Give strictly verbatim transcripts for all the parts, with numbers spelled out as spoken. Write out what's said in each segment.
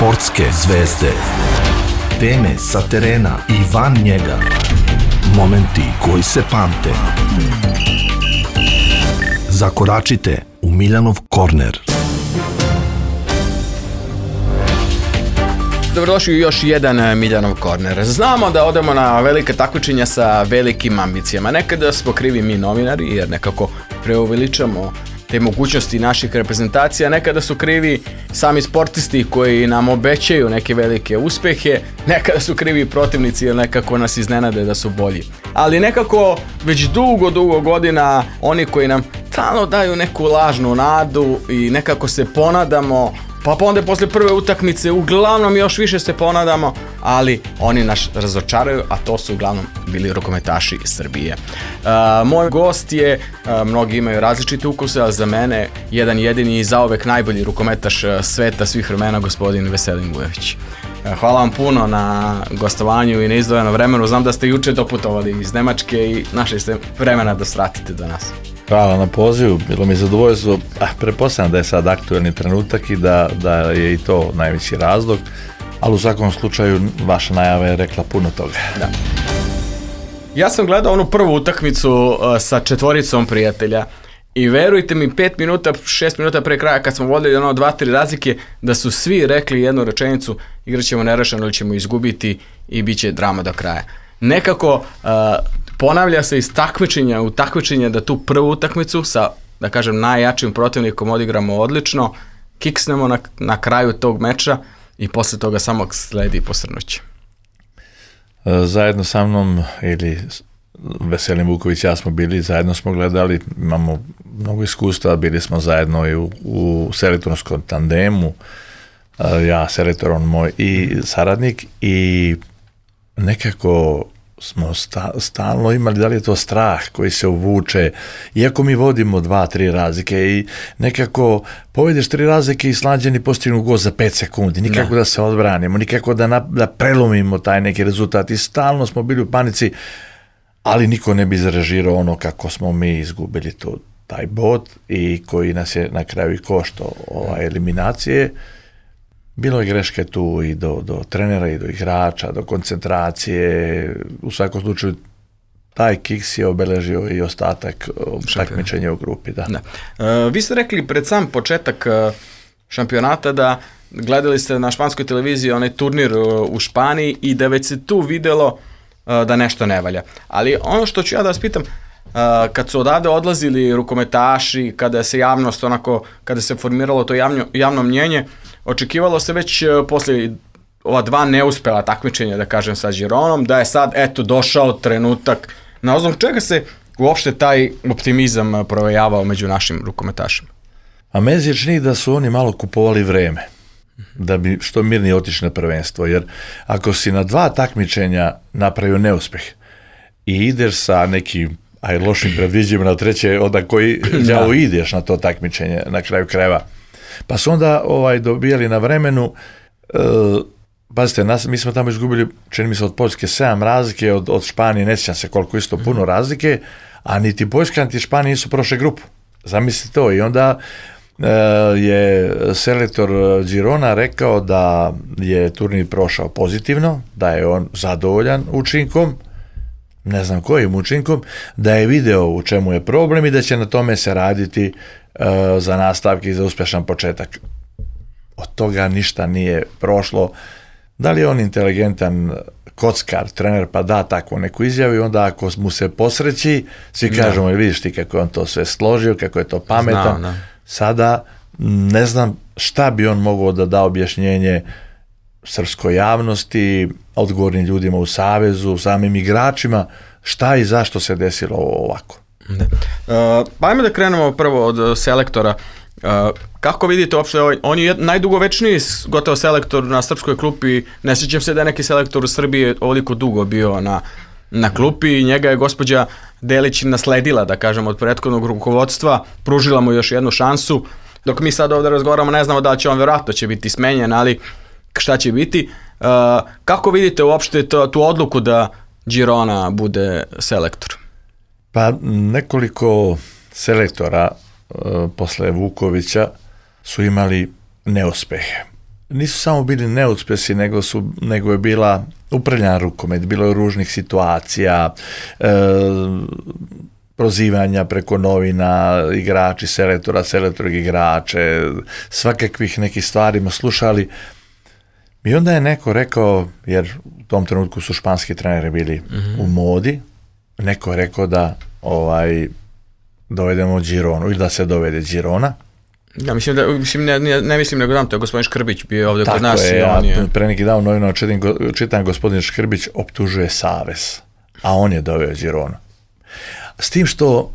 Sportske zvezde. Teme sa terena i van njega. Momenti koji se pamte. Zakoračite u Miljanov korner. Dobrodošli u još jedan Miljanov korner. Znamo da odemo na velike takmičenja sa velikim ambicijama. Nekada smo krivi mi novinari jer nekako preuveličamo te mogućnosti naših reprezentacija. Nekada su krivi sami sportisti koji nam obećaju neke velike uspehe. Nekada su krivi protivnici jer nekako nas iznenade da su bolji. Ali nekako već dugo, dugo godina oni koji nam stalno daju neku lažnu nadu i nekako se ponadamo, pa onda posle prve utakmice uglavnom još više se ponadamo, ali oni nas razočaraju, a to su uglavnom bili rukometaši Srbije. Uh, moj gost je, uh, mnogi imaju različite ukuse, ali za mene jedan jedini i zauvek najbolji rukometaš sveta svih vremena, gospodin Veselin Vujović. Uh, hvala vam puno na gostovanju i na izdvojeno vremenu. Znam da ste juče doputovali iz Nemačke i našli ste vremena da svratite do nas. Hvala na pozivu, bilo mi je zadovoljstvo. Ah, pretpostavljam da je sad aktuelni trenutak i da, da je i to najveći razlog, ali u svakom slučaju vaša najava je rekla puno toga. Da. Ja sam gledao onu prvu utakmicu uh, sa četvoricom prijatelja i verujte mi, pet minuta, šest minuta pre kraja kad smo vodili ono dva, tri razlike, da su svi rekli jednu rečenicu: igrat ćemo nerešeno ili ćemo izgubiti i bit će drama do kraja. Nekako uh, ponavlja se iz takmičenja u takmičenje da tu prvu utakmicu sa, da kažem, najjačim protivnikom odigramo odlično, kiksnemo na, na kraju tog meča i posle toga samo sledi posrnuće. Zajedno sa mnom ili Veselin Vuković, ja smo bili, zajedno smo gledali, imamo mnogo iskustva, bili smo zajedno i u, u selektorskom tandemu, ja selektor, on moj i saradnik, i nekako smo sta, stalno imali, da li je to strah koji se uvuče, iako mi vodimo dva, tri razlike i nekako povedeš tri razlike i Slađani postignu gol za pet sekundi, nikako da, da se odbranimo, nikako da, na, da prelomimo taj neki rezultat i stalno smo bili u panici, ali niko ne bi izrežirao ono kako smo mi izgubili to, taj bod i koji nas je na kraju i koštao ova eliminacije. Bilo je greške tu i do, do trenera i do igrača, do koncentracije. U svakom slučaju taj kiks je obeležio i ostatak takmičenja u grupi. Da. Da. Uh, vi ste rekli pred sam početak uh, šampionata da gledali ste na španskoj televiziji onaj turnir uh, u Španiji i da već se tu videlo uh, da nešto ne valja. Ali ono što ću ja da vas pitam, uh, kad su odavde odlazili rukometaši, kada se javnost onako, kada se formiralo to javno, javno mnjenje, očekivalo se već posle ova dva neuspela takmičenja, da kažem, sa Gironom, da je sad, eto, došao trenutak. Na osnovu čega se uopšte taj optimizam provejavao među našim rukometašima? A meni se čini da su oni malo kupovali vreme, da bi što mirnije otišli na prvenstvo, jer ako si na dva takmičenja napravio neuspeh i ideš sa nekim, aj lošim predviđima na treće, onda koji đavo ideš na to takmičenje na kraju krajeva, pa su onda ovaj, dobijali na vremenu, e, pazite, nas, mi smo tamo izgubili, čini mi se, od Poljske sedam razlike, od, od Španije ne sjećam se koliko isto puno razlike, a niti Poljska niti Španija nisu prošle grupu. Zamislite to. I onda e, je selektor Girona rekao da je turnir prošao pozitivno, da je on zadovoljan učinkom, ne znam kojim učinkom, da je video u čemu je problem i da će na tome se raditi uh, za nastavke i za uspješan početak. Od toga ništa nije prošlo. Da li je on inteligentan kockar, trener, pa da tako neku izjavu i onda ako mu se posreći, svi kažemo, no. Vidiš ti kako je on to sve složio, kako je to pametan. No, no. Sada ne znam šta bi on mogao da da objašnjenje srpskoj javnosti, odgovornim ljudima u savezu, samim igračima, šta i zašto se desilo ovako. Da. Uh, pa ajme da krenemo prvo od selektora. Uh, kako vidite uopšte, ovaj, on je najdugovečniji gotovo selektor na srpskoj klupi, ne sjećam se da je neki selektor u Srbiji ovoliko dugo bio na, na klupi i njega je gospođa Delić nasledila, da kažem, od prethodnog rukovodstva, pružila mu još jednu šansu, dok mi sad ovdje razgovaramo ne znamo da će on vjerojatno će biti smenjen, ali šta će biti. Uh, kako vidite uopšte to, tu odluku da Girona bude selektor? Pa nekoliko selektora uh, posle Vukovića su imali neuspehe. nisu samo bili neuspjesi, nego, su, nego je bila upravljena rukomet, bilo je ružnih situacija, e, prozivanja preko novina, igrači, selektora, selektori igrače, svakakvih nekih stvarima slušali. I onda je neko rekao, jer u tom trenutku su španski treneri bili mm-hmm. u modi, neko je rekao da ovaj, dovedemo Gironu ili da se dovede Girona. Ja, mislim da, mislim, ne, ne, ne mislim nego znam, to je gospodin Škrbić bio ovdje kod nas. Tako je, ja je... pre neki dan u novinama čitam, čitam gospodin Škrbić optužuje savez, a on je doveo Gironu. S tim što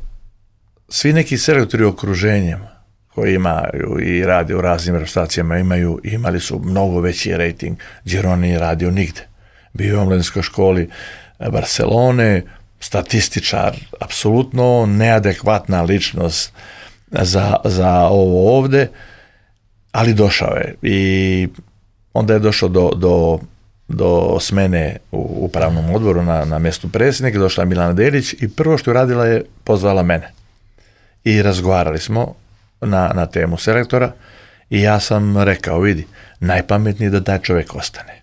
svi neki selektori u okruženjem koji imaju i rade u raznim reprezentacijama imaju, imali su mnogo veći rating. Girona nije radio nigde. Bio je u omladinskoj školi Barcelone, statističar, apsolutno neadekvatna ličnost za, za ovo ovde, ali došao je. I onda je došao do, do, do smene u upravnom odboru na, na mjestu predsjednika, došla je Milana Delić i prvo što je radila je pozvala mene. I razgovarali smo na, na temu selektora i ja sam rekao, vidi, najpametnije da taj čovjek ostane.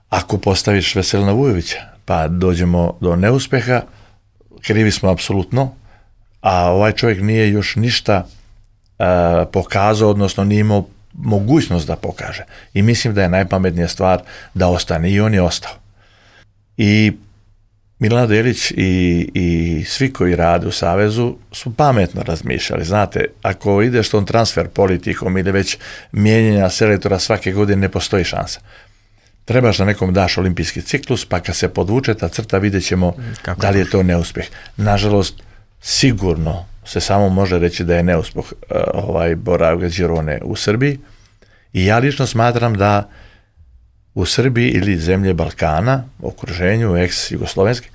Ako postaviš Veselina Vujovića, pa dođemo do neuspeha, krivi smo apsolutno, a ovaj čovjek nije još ništa uh, pokazao, odnosno nije imao mogućnost da pokaže. I mislim da je najpametnija stvar da ostane. I on je ostao. I Milana Delić i, i svi koji rade u Savezu su pametno razmišljali. Znate, ako ideš tom transfer politikom ili već mijenjanja selektora svake godine, ne postoji šansa. Trebaš da nekom daš olimpijski ciklus, pa kad se podvuče ta crta, vidjet ćemo Kako da li je to neuspjeh. Nažalost, sigurno se samo može reći da je neuspjeh uh, ovaj boravka Girone u Srbiji. I ja lično smatram da u Srbiji ili zemlje Balkana, okruženju, ex-jugoslovenski,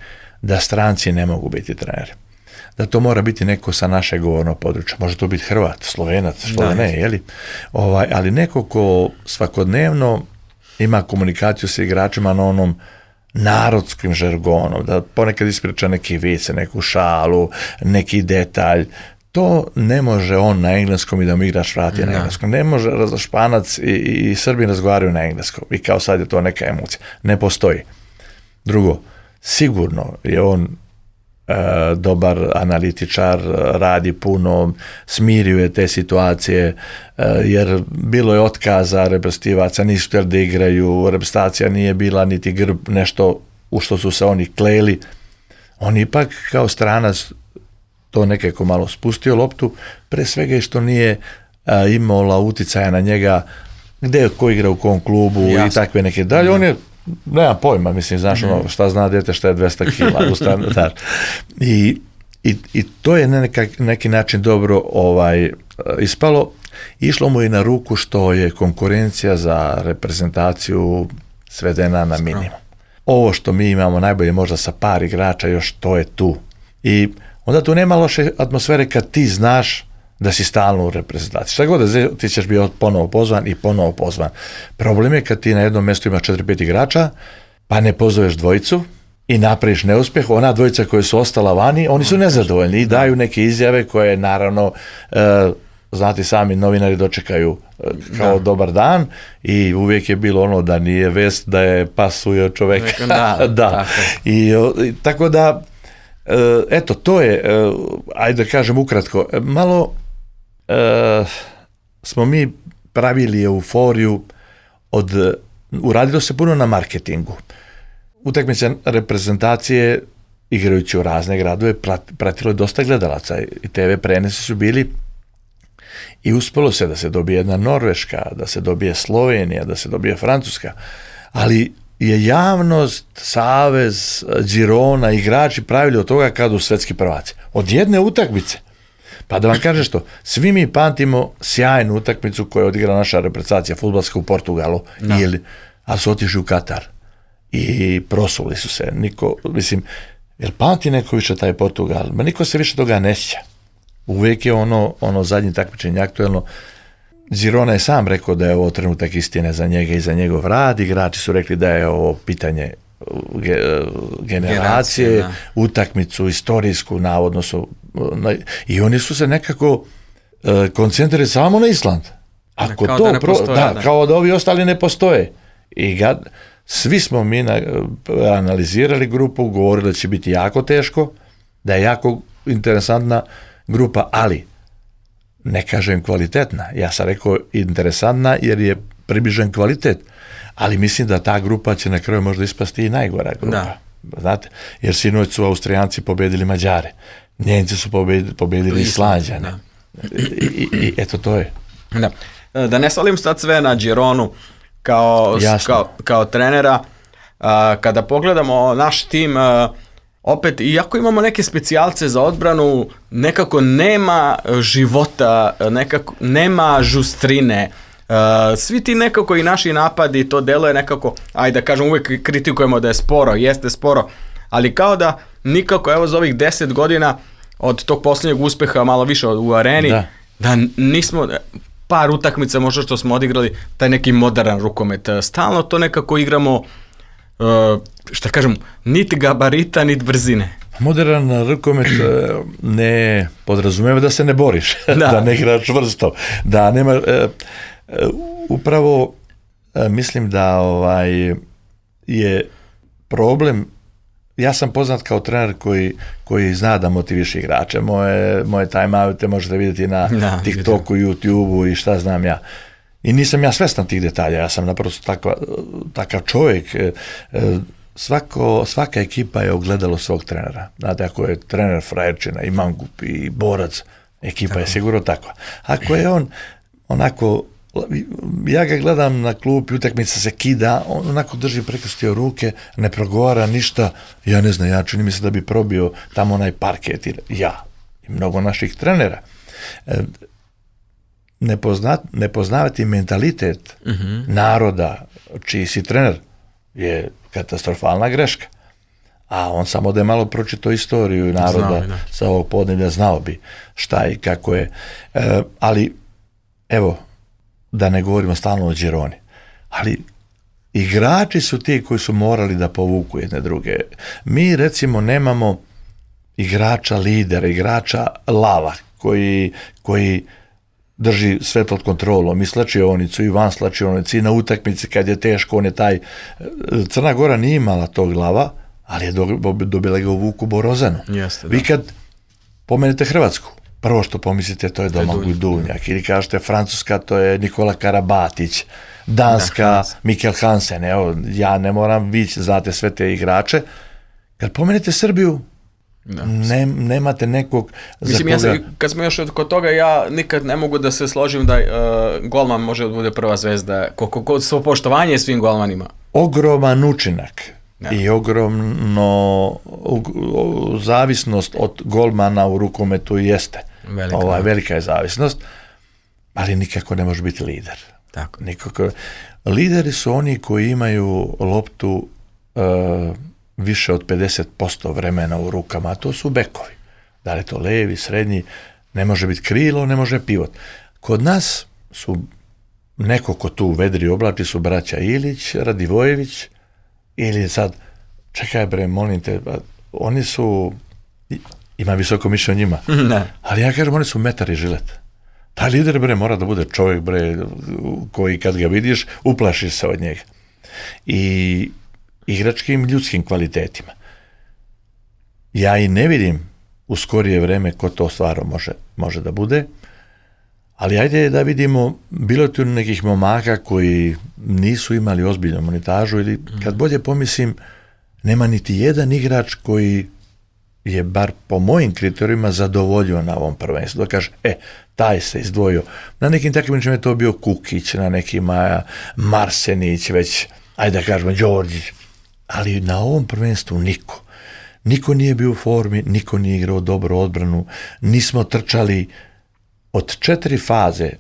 da stranci ne mogu biti treneri. Da to mora biti neko sa našeg govornog područja. Može to biti Hrvat, Slovenac, što da ne, jeli? Ovaj, ali neko ko svakodnevno ima komunikaciju sa igračima na onom narodskim žargonom, da ponekad ispriča neki vice, neku šalu, neki detalj. To ne može on na engleskom i da mu igrač vrati na engleskom. Ne može Španac i, i Srbi razgovaraju na engleskom i kao sad je to neka emocija. Ne postoji. Drugo, sigurno je on e, dobar analitičar, radi puno, smirio je te situacije, e, jer bilo je otkaza reprezentativaca, nisu htjeli da igraju, reprezentacija nije bila niti grb, nešto u što su se oni kleli. On ipak kao stranac to nekako malo spustio loptu, pre svega i što nije a, imala uticaja na njega gde ko igra u kom klubu Jasne. I takve neke dalje. Da. On je, nema pojma, mislim, znaš, mm-hmm. ono, šta zna dete šta je dvesta kila. Ustan, I, i, I to je na neka, neki način dobro ovaj, ispalo. Išlo mu i na ruku što je konkurencija za reprezentaciju svedena na minimum. Ovo što mi imamo najbolje možda sa par igrača, još to je tu. I onda tu nema loše atmosfere kad ti znaš da si stalno u reprezentaciji. Šta god da ti ćeš biti ponovo pozvan i ponovo pozvan. Problem je kad ti na jednom mjestu imaš četiri pet igrača, pa ne pozoveš dvojicu i napraviš neuspjeh. Ona dvojica koja su ostala vani, oni su nezadovoljni i daju neke izjave koje naravno, e, znate sami, novinari dočekaju e, kao da. Dobar dan i uvijek je bilo ono da nije vest da je pas ujeo čoveka. Da, da. Tako. I, i, tako da Uh, eto, to je, uh, ajde da kažem ukratko, malo uh, smo mi pravili euforiju od, uh, uradilo se puno na marketingu. Utakmice reprezentacije, igrajući u razne gradove, prat, pratilo je dosta gledalaca i te ve prenesi su bili i uspelo se da se dobije jedna Norveška, da se dobije Slovenija, da se dobije Francuska, ali je javnost, Savez, Girona, igrači pravili od toga kada u svetski prvaci. Od jedne utakmice. Pa da vam kažem što, svi mi pamtimo sjajnu utakmicu koju je odigrala naša reprezentacija fudbalska u Portugalu, no. ili, a su otišli u Katar i prosuli su se. Niko, mislim, jer pamti neko više taj Portugal? Ma niko se više toga ne sjeća. Uvijek je ono, ono zadnje takmičenje aktuelno. Girona je sam rekao da je ovo trenutak istine za njega i za njegov rad, igrači su rekli da je ovo pitanje ge, generacije, Generacije, utakmicu istorijsku, navodno su, na, i oni su se nekako uh, koncentrirali samo na Island, Ako kao to da ne pro, postoje, da, da. kao da ovi ostali ne postoje. I ga, svi smo mi na, analizirali grupu, govorili da će biti jako teško, da je jako interesantna grupa, ali ne kažem kvalitetna. Ja sam rekao interesantna jer je približen kvalitet, ali mislim da ta grupa će na kraju možda ispasti i najgora grupa. Da. Znate, jer sinoć su Austrijanci pobedili Mađare, Njenci su pobedili, pobedili Islanđane. I, i, I eto to je. Da. Da ne svalim sad sve na Gironu kao, kao, kao trenera, a, kada pogledamo naš tim, a, opet, iako imamo neke specijalce za odbranu, nekako nema života, nekako nema žustrine. Uh, svi ti nekako i naši napadi, to deluje nekako, ajde da kažem, uvijek kritikujemo da je sporo, jeste sporo, ali kao da nikako, evo za ovih deset godina od tog posljednjeg uspeha, malo više u areni, da, da nismo, par utakmica možda što smo odigrali, taj neki modern rukomet, stalno to nekako igramo, uh, šta kažem, niti gabarita, niti brzine. Modern rukomet ne podrazumijeva da se ne boriš, da, da ne igraš čvrsto, da nema... Uh, upravo mislim da ovaj je problem, ja sam poznat kao trener koji, koji zna da motiviše igrače, moje, moje time-oute možete vidjeti na da, TikToku, YouTubeu i šta znam ja. I nisam ja svestan tih detalja, ja sam naprosto takva, takav čovjek. Svako, svaka ekipa je ogledalo svog trenera. Znate, ako je trener frajerčina i mangup i borac, ekipa tako je sigurno takva. Ako je on onako, ja ga gledam na klupi, utakmica se kida, on onako drži prekrstio ruke, ne progovara ništa, ja ne znam, ja čini mi se da bi probio tamo onaj parket, ja i mnogo naših trenera. Ne, pozna, ne poznavati mentalitet uh-huh. naroda čiji si trener je katastrofalna greška. A on samo da je malo pročitao istoriju naroda znao, sa ovog podneblja, znao bi šta i kako je. E, ali evo, da ne govorimo stalno o Gironi, ali igrači su ti koji su morali da povuku jedne druge. Mi recimo nemamo igrača lidera, igrača lava koji, koji drži sve pod kontrolom i slačionicu i van slačionicu i na utakmici kad je teško, on je taj. Crna Gora nije imala tog glava, ali je dobila ga u Vuku Borozanu. Jeste, vi kad pomenete Hrvatsku, prvo što pomislite to je Domagoj Duvnjak, ili kažete Francuska, to je Nikola Karabatić, Danska, da, Mikkel Hansen, evo, ja ne moram, vi znate sve te igrače. Kad pomenete Srbiju, da, ne, nemate nekog za mislim, koga... Ja sam, kad smo još kod toga, ja nikad ne mogu da se složim da uh, golman može da bude prva zvezda, koliko kod svo poštovanje svim golmanima. Ogroman učinak. Ja. I ogromno u, u, zavisnost od golmana u rukometu jeste. Velika, Ova, velika je zavisnost, ali nikako ne može biti lider. Tako. Nikako. Lideri su oni koji imaju loptu uh, više od pedeset posto vremena u rukama, a to su bekovi. Da li to levi, srednji, ne može biti krilo, ne može pivot. Kod nas su neko ko tu vedri oblači su braća Ilić, Radivojević, ili sad, čekaj bre, molim te, oni su, ima visoko mišljenje o njima, ne. Ali ja kažem, oni su metar i žilet. Taj lider bre mora da bude čovjek bre, koji kad ga vidiš, uplašiš se od njega. I igračkim ljudskim kvalitetima. Ja i ne vidim u skorije vreme ko to stvarno može, može da bude, ali ajde da vidimo, bilo tu nekih momaka koji nisu imali ozbiljnu monetažu ili kad bolje pomislim, nema niti jedan igrač koji je bar po mojim kriterijima zadovoljio na ovom prvenstvu. Da kaže, e, taj se izdvojio. Na nekim takvim je to bio Kukić, na nekima Marsenić, već, ajde da kažemo, Đorđić. Ali na ovom prvenstvu niko. Niko nije bio u formi, niko nije igrao dobro odbranu, nismo trčali. Od četiri faze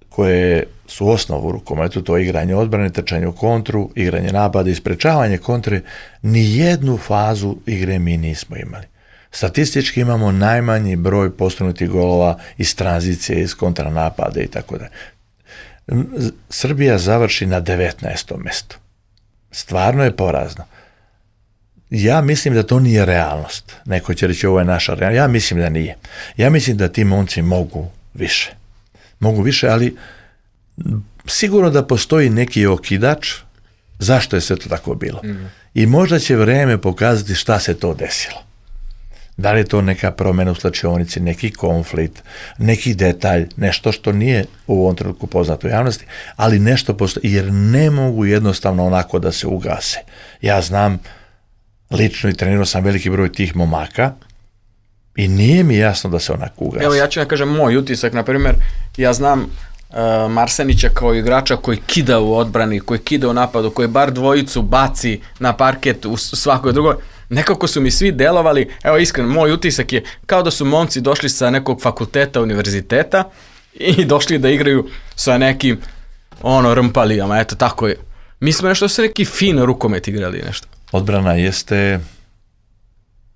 koje su osnovu u rukometu, to je igranje odbrane, trčanje u kontru, igranje napada i sprečavanje kontre, ni jednu fazu igre mi nismo imali. Statistički imamo najmanji broj postignutih golova iz tranzicije, iz kontranapada i tako dalje. Srbija završi na devetnaestom mestu. Stvarno je porazno. Ja mislim da to nije realnost. Neko će reći ovo je naša realnost. Ja mislim da nije. Ja mislim da ti momci mogu više. Mogu više, ali sigurno da postoji neki okidač zašto je sve to tako bilo. Mm. I možda će vreme pokazati šta se to desilo. Da li je to neka promjena u slačionici, neki konflikt, neki detalj, nešto što nije u ovom trenutku poznato u javnosti, ali nešto postoji, jer ne mogu jednostavno onako da se ugase. Ja znam, lično i trenirao sam veliki broj tih momaka i nije mi jasno da se onako ugase. Evo ja ću vam kažem moj utisak, na primjer, ja znam uh, Marsenića kao igrača koji kida u odbrani, koji kida u napadu, koji bar dvojicu baci na parket u svakoj drugoj. Nekako su mi svi delovali, evo iskreno, moj utisak je kao da su momci došli sa nekog fakulteta, univerziteta i došli da igraju sa nekim ono rmpalijama, eto tako je. Mi smo nešto su neki fin rukomet igrali nešto. Odbrana jeste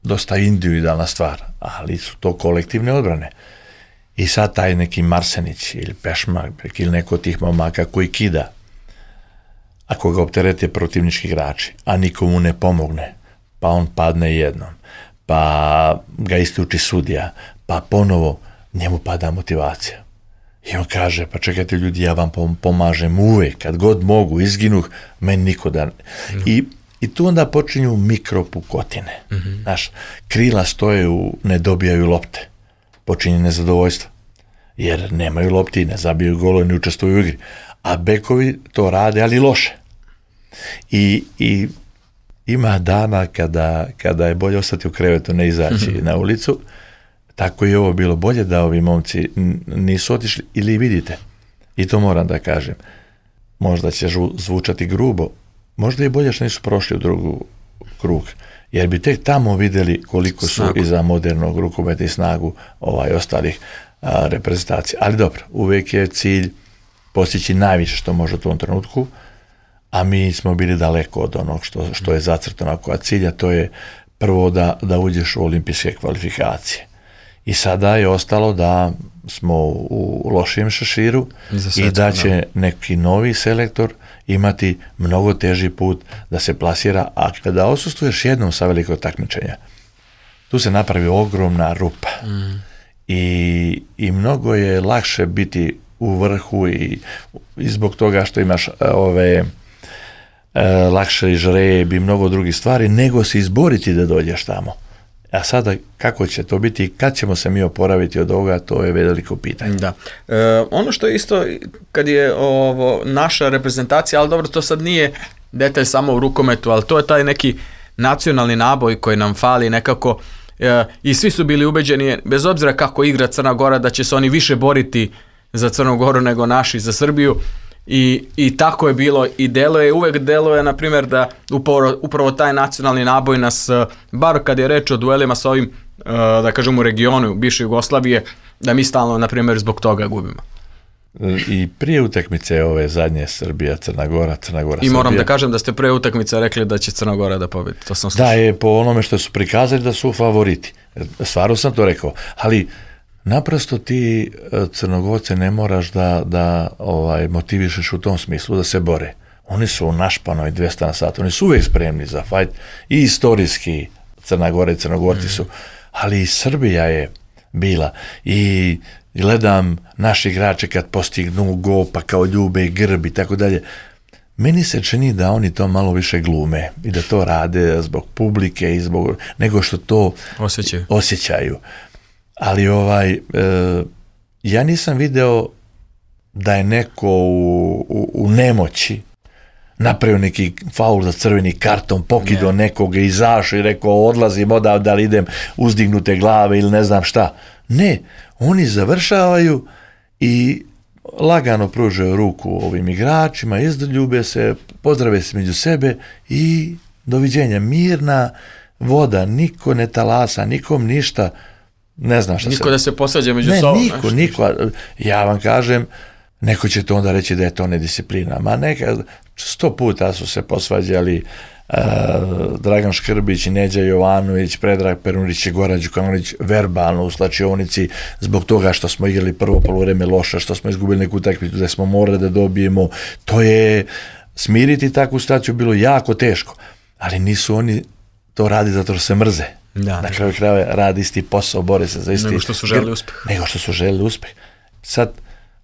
dosta individualna stvar, ali su to kolektivne odbrane. I sad taj neki Marsenić ili Pešmak ili neko od tih momaka koji kida, ako ga opterete protivnički igrači, a nikomu ne pomogne, pa on padne jednom, pa ga isključi sudija, pa ponovo njemu pada motivacija. I on kaže, pa čekajte ljudi, ja vam pomažem uvek, kad god mogu, izginuh, meni niko da... Mm. I, I tu onda počinju mikropukotine. Mm-hmm. Znaš, krila stoje u, ne dobijaju lopte. Počinje nezadovoljstvo. Jer nemaju lopti, ne zabiju golo, ne učestvuju u igri. A bekovi to rade, ali loše. I, i ima dana kada, kada je bolje ostati u krevetu, ne izaći mm-hmm. na ulicu. Tako je ovo bilo bolje da ovi momci nisu otišli, ili vidite, i to moram da kažem, možda će zvučati grubo, možda je bolje što nisu prošli u drugu krug, jer bi tek tamo vidjeli koliko su snagu iza modernog rukometa i snagu ovaj, ostalih a, reprezentacija. Ali dobro, uvijek je cilj postići najviše što može u tom trenutku, a mi smo bili daleko od onog što, što je zacrtano kao cilja, to je prvo da, da uđeš u olimpijske kvalifikacije. I sada je ostalo da smo u lošijem šeširu i, i da će neki novi selektor imati mnogo teži put da se plasira, a kada odsustuješ jednom sa velikog takmičenja, tu se napravi ogromna rupa. Mm. I, i mnogo je lakše biti u vrhu i, i zbog toga što imaš ove e, lakše žreb i mnogo drugih stvari, nego se izboriti da dođeš tamo. A sada kako će to biti i kad ćemo se mi oporaviti od ovoga, to je veliko pitanje. Da. E, ono što je isto, kad je ovo naša reprezentacija, ali dobro, to sad nije detalj samo u rukometu, ali to je taj neki nacionalni naboj koji nam fali nekako e, i svi su bili ubeđeni, bez obzira kako igra Crna Gora, da će se oni više boriti za Crnu Goru nego naši za Srbiju. I, i tako je bilo i deluje, uvek deluje na primjer da upravo, upravo taj nacionalni naboj nas, bar kad je reč o duelima sa ovim, da kažem u regionu bivše Jugoslavije, da mi stalno na primjer zbog toga gubimo. I prije utakmice ove zadnje Srbija, Crna Gora, Crna Gora, Srbija. I moram da kažem da ste pre utakmice rekli da će Crna Gora da pobedi, to sam slušao. Da, je po onome što su prikazali da su favoriti, stvarno sam to rekao, ali naprosto ti Crnogorce ne moraš da, da ovaj, motivišeš u tom smislu da se bore. Oni su u našpanoj dvesta na sat, oni su uvijek spremni za fajt i istorijski Crna Gora i Crnogorci mm. su, ali i Srbija je bila i gledam naši igrače kad postignu go pa kao ljube grb i tako dalje. Meni se čini da oni to malo više glume i da to rade zbog publike i zbog nego što to osjećaju. osjećaju. Ali ovaj, e, ja nisam video da je neko u, u, u nemoći napravio neki faul za crveni karton, pokido nekoga, izašao i rekao odlazim odavde, da li idem uzdignute glave ili ne znam šta. Ne, oni završavaju i lagano pružaju ruku ovim igračima, izdoljube se, pozdrave se među sebe i doviđenja. Mirna voda, niko ne talasa, nikom ništa. Ne znam šta niko se... da se posađa među ne, sobom. Ne, niko, niko. Ja vam kažem, neko će to onda reći da je to nedisciplina. Ma neka, sto puta su se posvađali uh, Dragan Škrbić, Neđa Jovanović, Predrag Perunić i Goran Đukanović verbalno u slačionici zbog toga što smo igrali prvo poluvreme loše, što smo izgubili neku utakmicu da smo morali da dobijemo. To je, smiriti takvu situaciju bilo jako teško. Ali nisu oni to radi zato što se mrze. Da, na kraju krajeva radi isti posao, bore se za isti... Nego što su želeli uspeh. Nego što su želeli uspeh. Sad,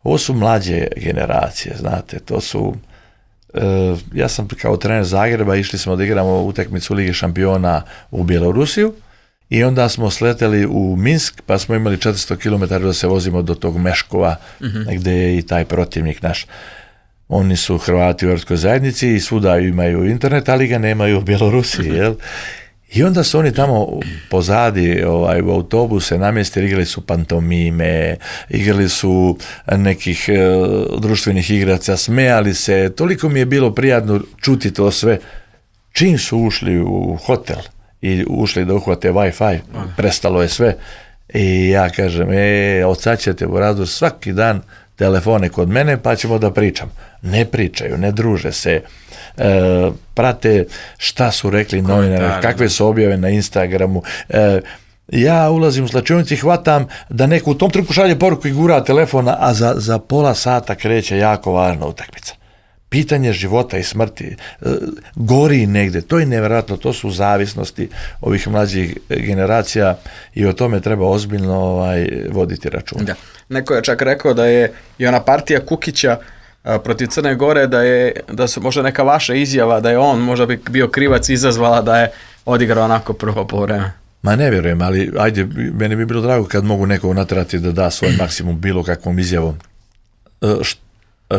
ovo su mlađe generacije, znate, to su, uh, ja sam kao trener Zagreba, išli smo da igramo utakmicu Lige šampiona u Bjelorusiju i onda smo sleteli u Minsk, pa smo imali četiristo kilometara da se vozimo do tog Meškova, mm-hmm. gdje je i taj protivnik naš. Oni su Hrvati u europskoj zajednici i svuda imaju internet, ali ga nemaju u Bjelorusiji, jel? I onda su oni tamo pozadi ovaj, u autobuse namjestili, igrali su pantomime, igrali su nekih e, društvenih igraca, smejali se, toliko mi je bilo prijatno čuti to sve. Čim su ušli u hotel i ušli da uhvate Wi-Fi, prestalo je sve. I ja kažem, e, od sad ćete u razdoru svaki dan telefone kod mene pa ćemo da pričam. Ne pričaju, ne druže se, e, prate šta su rekli novinari, kakve su objave na Instagramu. E, ja ulazim u slačionicu i hvatam da neko u tom trenutku šalje poruku i gura telefona, a za, za pola sata kreće jako važna utakmica. Pitanje života i smrti, e, gori negde, to je nevjerojatno, to su zavisnosti ovih mlađih generacija i o tome treba ozbiljno ovaj, voditi račun. Da. Neko je čak rekao da je i ona partija Kukića a, protiv Crne Gore, da je da su možda neka vaša izjava da je on možda bi bio krivac izazvala da je odigrao onako prvo po vreme. Ma ne vjerujem, ali ajde, meni bi bilo drago kad mogu nekog naterati da da svoj maksimum bilo kakvom izjavom. E,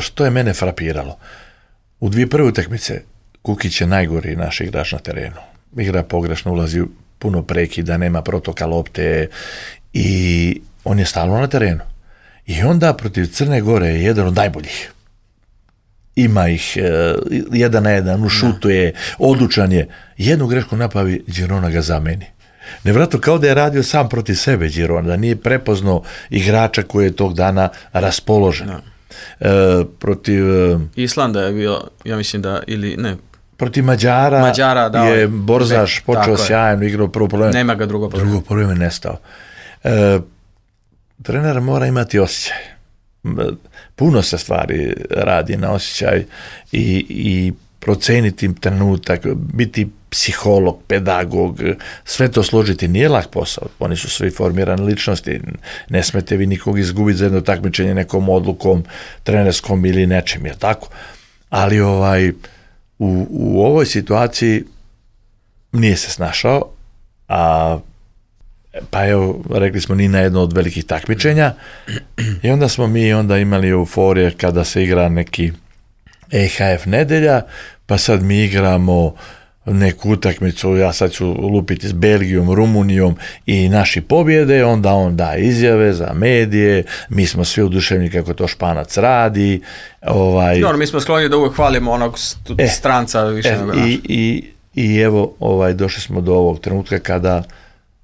Što je mene frapiralo? U dvije prve utakmice Kukić je najgori naš igrač na terenu. Igra pogrešno, ulazi puno prekida, nema protoka lopte i on je stalno na terenu. I onda protiv Crne Gore je jedan od najboljih. Ima ih e, jedan na jedan, ušutuje, odlučan je. Jednu grešku napravi, Girona ga zameni. Nevratno kao da je radio sam protiv sebe Girona, da nije prepoznao igrača koji je tog dana raspoložen. No. E, protiv Islanda je bio, ja mislim da, ili ne, protiv Mađara, Mađara da, je Borzaš počeo sjajno, igrao prvo polovreme, nema ga drugo polovreme, drugo polovreme nestao. E, trener mora imati osjećaj. Puno se stvari radi na osjećaj i, i proceniti trenutak, biti psiholog, pedagog, sve to složiti nije lak posao. Oni su svi formirane ličnosti. Ne smete vi nikog izgubiti za jedno takmičenje nekom odlukom, trenerskom ili nečim, je tako? Ali ovaj, u, u ovoj situaciji nije se snašao, a pa evo, rekli smo ni na jedno od velikih takmičenja i onda smo mi onda imali euforije kada se igra neki E H F nedelja, pa sad mi igramo neku utakmicu, ja sad ću lupiti s Belgijom, Rumunijom i naši pobjede, onda on da izjave za medije, mi smo svi oduševljeni kako to Španac radi. Ovaj, no, mi smo skloni da uvijek hvalimo onog st- e, stranca više e, nego i, i, i evo, ovaj, došli smo do ovog trenutka kada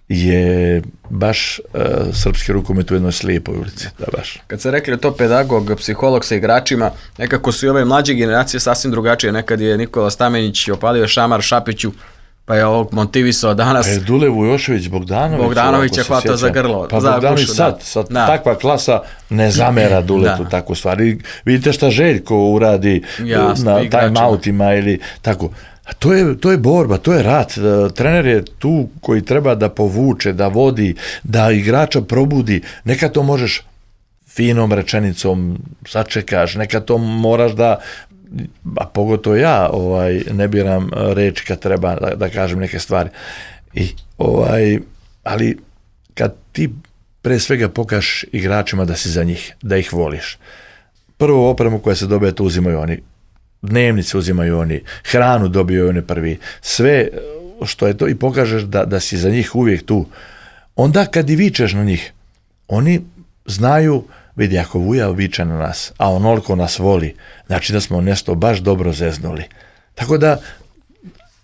je baš uh, srpski rukomet u jednoj slijepoj ulici. Da, baš. Kad se rekli to pedagog, psiholog sa igračima, nekako su i ove mlađe generacije sasvim drugačije. Nekad je Nikola Stamenić opalio šamar Šapiću, pa je ovog motivisao danas. Pa je Dule Vujošević Bogdanović. Bogdanović je hvatao za grlo. Pa za Bogdanović gušu, sad, sad da. Takva klasa ne zamera Duletu takvu stvar. I vidite šta Željko uradi jasno, na time-outima ili tako. A to je, to je borba, to je rat. Trener je tu koji treba da povuče, da vodi, da igrača probudi. Neka to možeš finom rečenicom sačekaš, neka to moraš da, a pogotovo ja ovaj, ne biram reč kad treba da, da kažem neke stvari. I, ovaj, ali kad ti pre svega pokažeš igračima da si za njih, da ih voliš. Prvo opremu koja se dobije, to uzimaju oni. Dnevnice uzimaju oni, hranu dobiju oni prvi, sve što je to i pokažeš da, da si za njih uvijek tu. Onda kad i vičeš na njih, oni znaju, vidi, ako Vuja viče na nas, a onoliko nas voli, znači da smo nešto baš dobro zeznuli. Tako da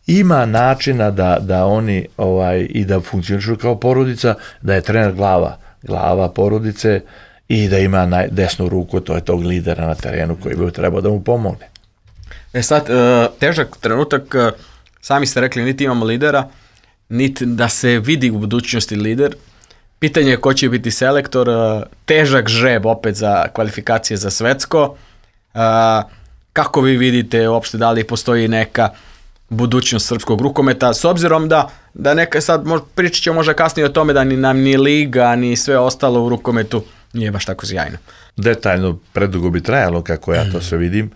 ima načina da, da oni ovaj, i da funkcionišu kao porodica, da je trener glava, glava porodice i da ima naj, desnu ruku, to je tog lidera na terenu koji bi trebao da mu pomogne. E sad, težak trenutak, sami ste rekli, niti imamo lidera, niti da se vidi u budućnosti lider. Pitanje je ko će biti selektor, težak žreb opet za kvalifikacije za svetsko. Kako vi vidite uopšte da li postoji neka budućnost srpskog rukometa, s obzirom da, da neka sad pričat ćemo možda kasnije o tome da ni nam ni liga, ni sve ostalo u rukometu nije baš tako sjajno. detaljno, predugo bi trajalo kako ja to sve vidim,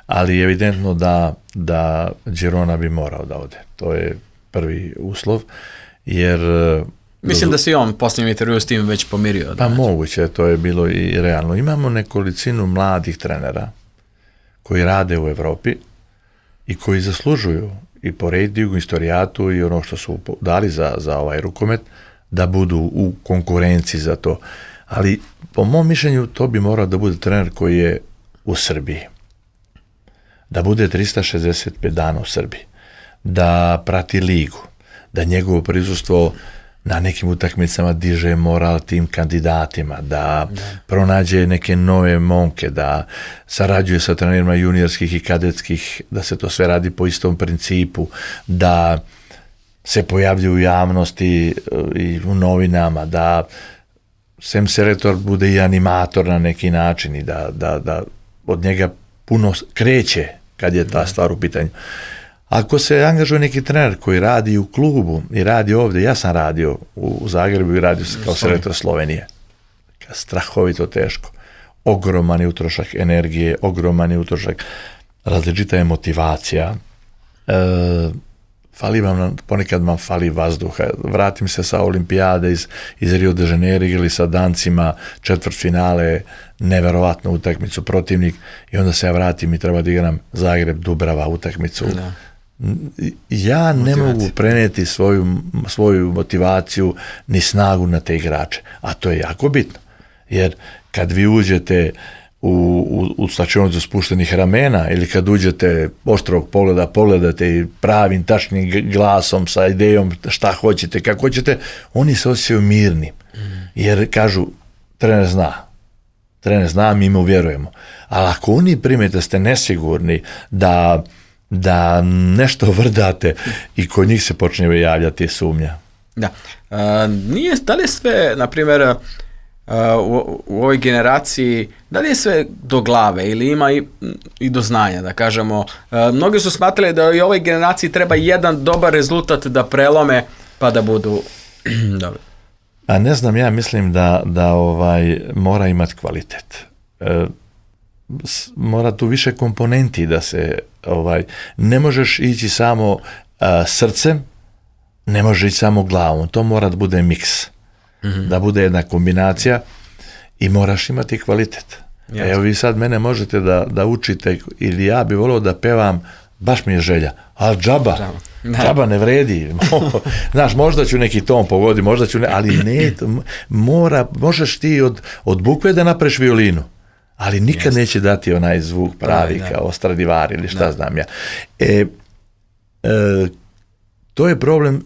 ali je evidentno da, da Girona bi morao da ode. To je prvi uslov, jer... Mislim da se on posljednjem intervju s tim već pomirio. Pa moguće, to je bilo i realno. Imamo nekolicinu mladih trenera koji rade u Evropi i koji zaslužuju i po rejtingu, istorijatu i ono što su dali za, za ovaj rukomet, da budu u konkurenciji za to. Ali po mom mišljenju to bi morao da bude trener koji je u Srbiji. Da bude tristo šezdeset pet dana u Srbiji. Da prati ligu. Da njegovo prisustvo na nekim utakmicama diže moral tim kandidatima, da, da pronađe neke nove momke, da sarađuje sa trenerima juniorskih i kadetskih, da se to sve radi po istom principu, da se pojavljuje u javnosti i u novinama, da sem selektor bude i animator na neki način i da, da, da od njega puno kreće kad je ta stvar u pitanju. Ako se angažuje neki trener koji radi u klubu i radi ovdje, ja sam radio u Zagrebu i radio kao selektor Slovenije. Strahovito teško. Ogroman je utrošak energije, ogroman je utrošak, različita je motivacija. E, fali vam, ponekad vam fali vazduha. Vratim se sa olimpijade iz, iz Rio de Janeiro ili sa Dancima, četvrtfinale, neverovatnu utakmicu, protivnik, i onda se ja vratim i treba da igram Zagreb, Dubrava utakmicu. Da. Ja ne mogu prenijeti svoju, svoju motivaciju ni snagu na te igrače, a to je jako bitno, jer kad vi uđete u, u, u slačionicu spuštenih ramena ili kad uđete oštrog pogleda, pogledate i pravim, tačnim glasom sa idejom šta hoćete, kako hoćete, oni se osjećaju mirni, jer kažu trener zna, trener zna, mi mu vjerujemo, ali ako oni primete ste nesigurni da da nešto vrdate i kod njih se počne javljati sumnja. Da. Uh, nije, da li je sve, na primjer, uh, u, u ovoj generaciji, da li je sve do glave ili ima i, i do znanja, da kažemo. Uh, mnogi su smatrali da i ovoj generaciji treba jedan dobar rezultat da prelome pa da budu dobri. A ne znam, ja mislim da, da ovaj mora imati kvalitet. Uh, mora tu više komponenti da se ovaj, ne možeš ići samo a, srcem, ne možeš ići samo glavom, to mora da bude miks, mm-hmm. da bude jedna kombinacija i moraš imati kvalitet. Jasne. Evo vi sad mene možete da, da učite ili ja bi volio da pevam, baš mi je želja, ali džaba, džaba, džaba ne vredi. Znaš, možda ću neki ton pogoditi, možda ću ne, ali ne, mora, možeš ti od, od bukve da napraviš violinu, ali nikad Jeste. Neće dati onaj zvuk pravi da, kao Stradivari ili šta da. Znam ja. E, e, to je problem,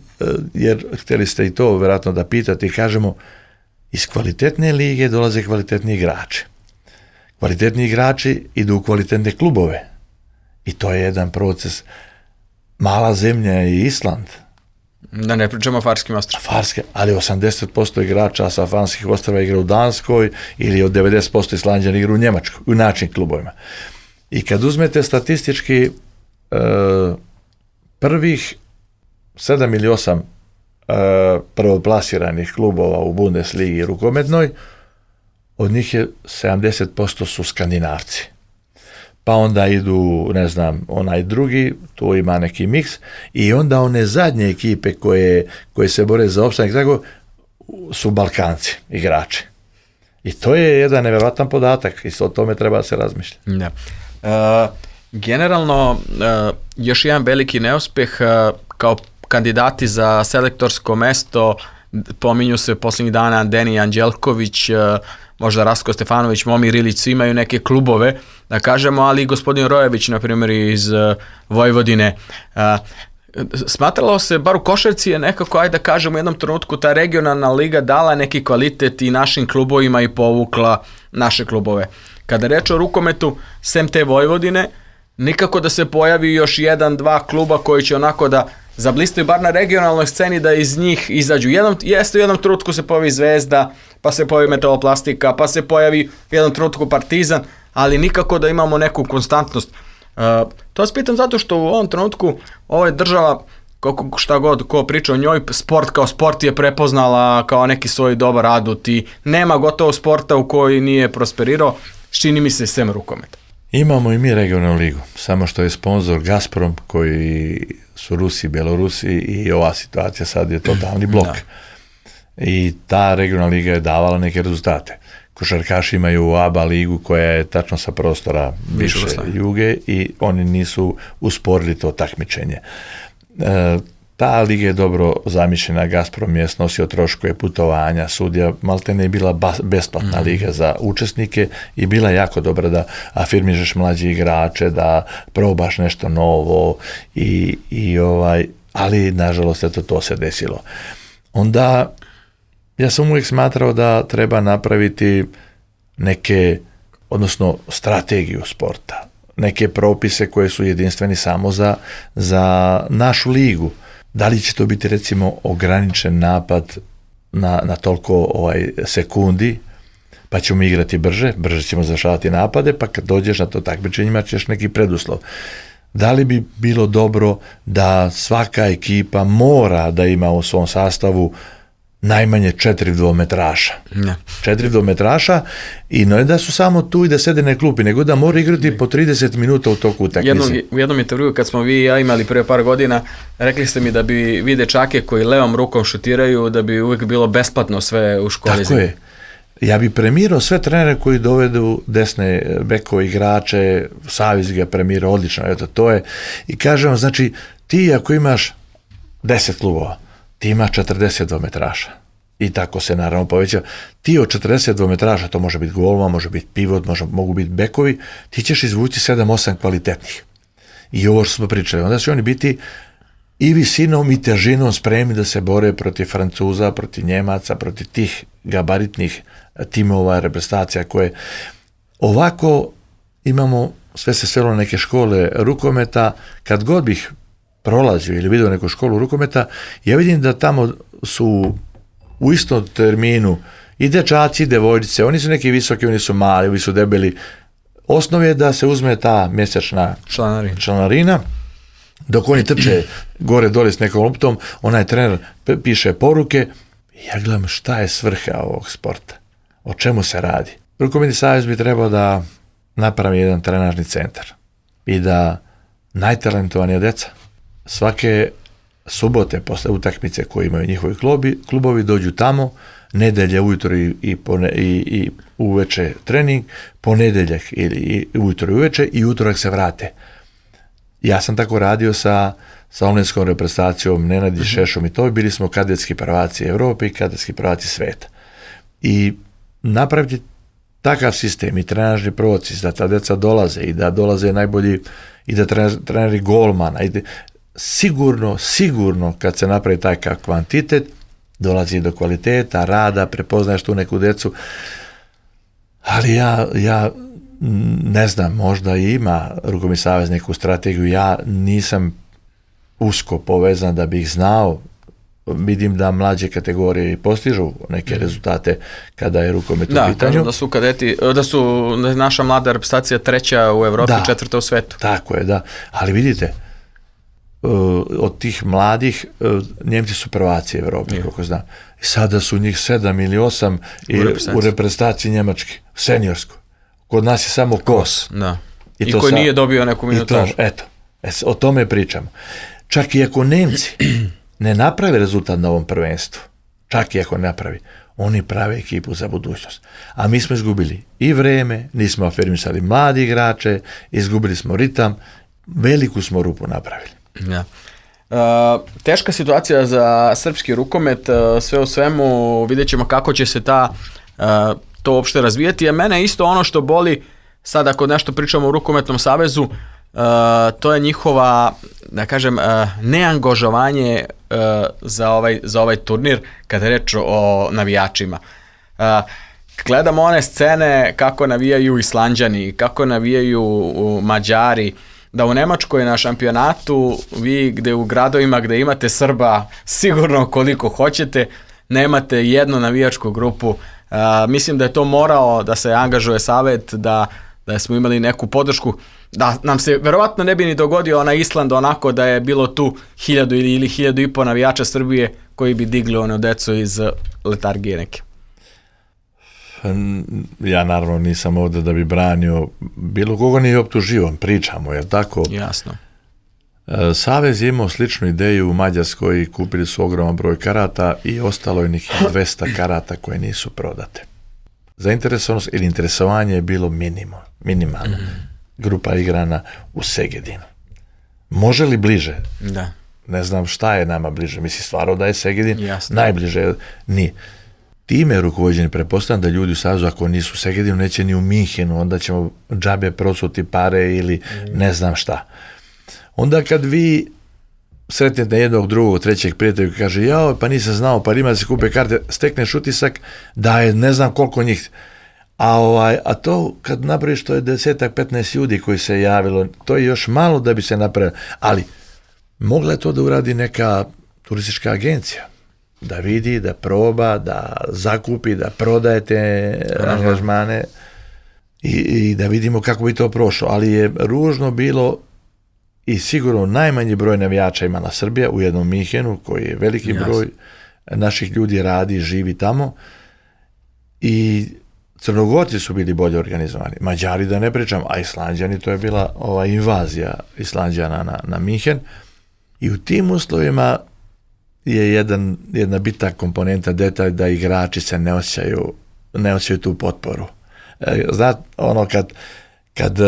jer htjeli ste i to vjerojatno da pitate i kažemo, iz kvalitetne lige dolaze kvalitetni igrači. Kvalitetni igrači idu u kvalitetne klubove i to je jedan proces. Mala zemlja je Island. Da ne pričamo o Farskim ostrvima. Farske, ali osamdeset posto igrača sa Farskih ostrva igra u Danskoj ili od devedeset posto Islanđana igra u Njemačkoj, u način klubovima. I kad uzmete statistički e, prvih sedam ili osam e, prvoplasiranih klubova u Bundesligi rukometnoj, od njih je sedamdeset posto su Skandinavci. Pa onda idu, ne znam, onaj drugi, tu ima neki miks, i onda one zadnje ekipe koje, koje se bore za opstanak, tako, su Balkanci, igrači. I to je jedan nevjerojatan podatak, i o tome treba se razmišljati. Da. Uh, generalno, uh, još jedan veliki neuspjeh, uh, kao kandidati za selektorsko mesto, pominju se posljednjih dana Deni Anđelković, uh, možda Rasko Stefanović, Momir Ilić, imaju neke klubove, da kažemo, ali i gospodin Rojević, na primjer, iz uh, Vojvodine. Uh, smatralo se, bar u košarci je nekako, ajde da kažemo, u jednom trenutku ta regionalna liga dala neki kvalitet i našim klubovima i povukla naše klubove. Kada reč o rukometu, sem te Vojvodine, nikako da se pojavi još jedan, dva kluba koji će onako da zablistaju bar na regionalnoj sceni, da iz njih izađu. Jednom, jeste u jednom trenutku se pojavi Zvezda, pa se pojavi Metaloplastika, pa se pojavi u jednom trenutku Partizan, ali nikako da imamo neku konstantnost. Uh, to vas pitam zato što u ovom trenutku ova država kako šta god ko priča o njoj, sport kao sport je prepoznala kao neki svoj dobar adut i nema gotovo sporta u koji nije prosperirao, čini mi se sem rukometa. Imamo i mi regionalnu ligu, samo što je sponsor Gazprom, koji su Rusi, Belorusi i ova situacija sad je totalni blok. Da. I ta regionalna liga je davala neke rezultate. Košarkaši imaju A B A ligu koja je tačno sa prostora više juge i oni nisu usporili to takmičenje. E, ta liga je dobro zamišljena, Gazprom je snosio troškove putovanja, sudija, maltene je bila bas, besplatna mm. liga za učesnike i bila jako dobra da afirmišeš mlađe igrače, da probaš nešto novo i, i ovaj, ali nažalost eto to se desilo. Onda ja sam uvijek smatrao da treba napraviti neke, odnosno strategiju sporta, neke propise koje su jedinstveni samo za, za našu ligu. Da li će to biti recimo ograničen napad na, na toliko ovaj, sekundi, pa ćemo igrati brže, brže ćemo završavati napade, pa kad dođeš na to takmičenje imat ćeš neki preduslov. Da li bi bilo dobro da svaka ekipa mora da ima u svom sastavu najmanje četiri dvometraša. Ne. Četiri dvometraša i ne da su samo tu i da sede na klupi, nego da mora igrati po trideset minuta u toku utakmice. Jednom, u jednom intervjuu kad smo vi i ja imali prije par godina, rekli ste mi da bi vi dečake koji levom rukom šutiraju, da bi uvijek bilo besplatno sve u školi. Tako je. Ja bi premirao sve trenere koji dovedu desne bekove igrače, Savez ga premirao odlično, eto to je. I kažem vam, znači, ti ako imaš deset klubova, ti imaš četrdeset dvometraša i tako se naravno poveća. Ti od četrdeset dvometraša, to može biti golman, može biti pivot, može, mogu biti bekovi, ti ćeš izvući sedam osam kvalitetnih. I ovo što smo pričali, onda će oni biti i visinom i težinom spremni da se bore protiv Francuza, protiv Njemaca, protiv tih gabaritnih timova, reprezentacija koje ovako imamo, sve se svelo na neke škole rukometa, kad god bih prolazio ili vidio neku školu rukometa, ja vidim da tamo su u istom terminu i dečaci i devojčice, oni su neki visoki, oni su mali, oni su debeli. Osnov je da se uzme ta mjesečna članarina, članarina dok oni trče gore dole s nekom loptom, onaj trener piše poruke i ja gledam šta je svrha ovog sporta, o čemu se radi. Rukometni savez bi trebao da napravi jedan trenažni centar i da najtalentovanija deca svake subote posle utakmice koje imaju njihovi klubi, klubovi dođu tamo, nedelje ujutro i, i, pone, i, i uveče trening, ponedeljak ili i ujutro i uveče i utorak se vrate. Ja sam tako radio sa, sa omladinskom reprezentacijom, Nenadi uh-huh. Šešom i to, bili smo kadetski prvaci Evrope i kadetski prvaci sveta. I napraviti takav sistem i trenažni proces, da ta deca dolaze i da dolaze najbolji i da treneri golmana i da, sigurno, sigurno kad se napravi taj kvantitet, dolazi do kvaliteta, rada, prepoznaješ tu neku decu, ali ja, ja ne znam, možda ima Rukometni savez neku strategiju, ja nisam usko povezan da bih znao, vidim da mlađe kategorije postižu neke mm. rezultate kada je rukomet u pitanju. Da, kažu da su kadeti, da su naša mlada reprezentacija treća u Evropi, da, četvrta u svetu. Tako je, da, ali vidite, od tih mladih, Njemci su prvaci Evrope, kako znam. I sada su njih sedam ili osam i u reprezentaciji, u reprezentaciji Njemački, seniorsko. Kod nas je samo Kos. Da. I, I koji sa, nije dobio neku minutažu. Eto, o tome pričamo. Čak i ako Nemci ne naprave rezultat na ovom prvenstvu, čak i ako ne napravi, oni prave ekipu za budućnost. A mi smo izgubili i vreme, nismo afirmisali mladi igrače, izgubili smo ritam, veliku smo rupu napravili. Ja. Uh, teška situacija za srpski rukomet, uh, sve u svemu vidjet ćemo kako će se ta, uh, to uopšte razvijati, a mene isto ono što boli, sad ako nešto pričamo o Rukometnom savezu, uh, to je njihova, da kažem, uh, neangažovanje uh, za, ovaj, za ovaj turnir kada je reč o navijačima. Uh, gledamo one scene kako navijaju Islanđani, kako navijaju Mađari, da u Nemačkoj na šampionatu vi gde u gradovima gde imate Srba sigurno koliko hoćete, nemate jednu navijačku grupu. Uh, mislim da je to morao da se angažuje savet, da, da smo imali neku podršku. da nam se verovatno ne bi ni dogodio onaj Island onako da je bilo tu hiljadu ili, ili hiljadu i po navijača Srbije koji bi digli ono decu iz letargije neke. Ja naravno nisam ovdje da bi branio bilo koga, ni optužio, pričamo, jer tako? Jasno. Savez je imao sličnu ideju u Mađarskoj, kupili su ogroman broj karata i ostalo je nekih dvesta karata koje nisu prodate. Zainteresovanost ili interesovanje je bilo minimum, minimalno. Mm. Grupa igrana u Segedinu. Može li bliže? Da. Ne znam šta je nama bliže. Mislim, stvarno da je Segedin Jasno. najbliže. Nije. Time rukovođeni, pretpostavljam da ljudi u Savezu, ako nisu u Segedinu, neće ni u Minhenu, onda ćemo džabe procuti pare ili mm. ne znam šta. Onda kad vi sretnete jednog, drugog, trećeg prijatelja koji kaže, jao, pa nisam znao, pa ima da se kupe karte, stekneš utisak da je ne znam koliko njih. A, ovaj, a to kad napraviš, to je desetak, petnaest ljudi koji se javilo, to je još malo da bi se napravilo. Ali mogla je to da uradi neka turistička agencija, da vidi, da proba, da zakupi, da prodaje te angažmane i, i da vidimo kako bi to prošlo. Ali je ružno bilo i sigurno najmanji broj navijača imala Srbija u jednom Minhenu, koji je veliki Jasne. broj naših ljudi radi, živi tamo, i Crnogorci su bili bolje organizovani, Mađari da ne pričam, a Islanđani, to je bila ova invazija Islanđana na, na Minhen, i u tim uslovima je jedan, jedna bitna komponenta, detalj, da igrači se ne osjećaju, ne osjećaju tu potporu. Znate, ono kad, kad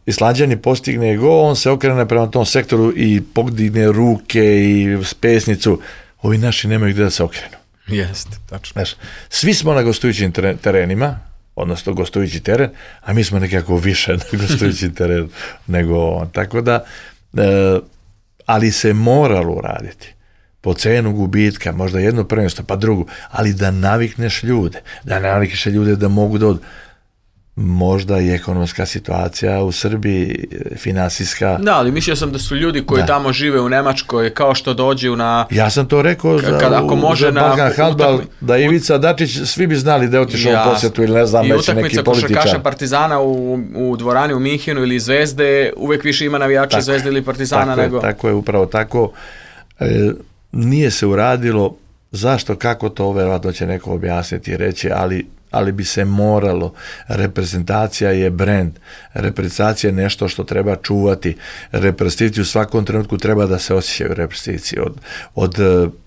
Islanđani postigne gol, on se okrene prema tom sektoru i podigne ruke i pesnicu, ovi naši nemaju gdje da se okrenu. Jeste, tačno. Znaš, svi smo na gostujućim terenima, odnosno gostujući teren, a mi smo nekako više na gostujući teren nego on. Tako da, e, ali se moralo uraditi. Po cenu gubitka, možda jedno prvenstvo, pa drugo, ali da navikneš ljude, da navikneš ljude da mogu da od... Možda i ekonomska situacija u Srbiji, finansijska. Da, ali mislio sam da su ljudi koji da. tamo žive u Nemačkoj, kao što dođu na... Ja sam to rekao za, kad, ako može za Balkan na, handbal, utakmi, da Ivica Dačić, svi bi znali da je otišao ja, u posjetu ili ne znam, već neki političar. I utakmica košarkaša Partizana u, u dvorani u Minhenu ili Zvezde, uvek više ima navijača tako, Zvezde ili Partizana tako nego... Je, tako je, upravo tako. E, nije se uradilo, zašto, kako to, verovatno će neko objasniti i reći, ali ali bi se moralo. Reprezentacija je brend, reprezentacija je nešto što treba čuvati, reprezentaciju u svakom trenutku treba da se osjećaju reprezentaciji, od, od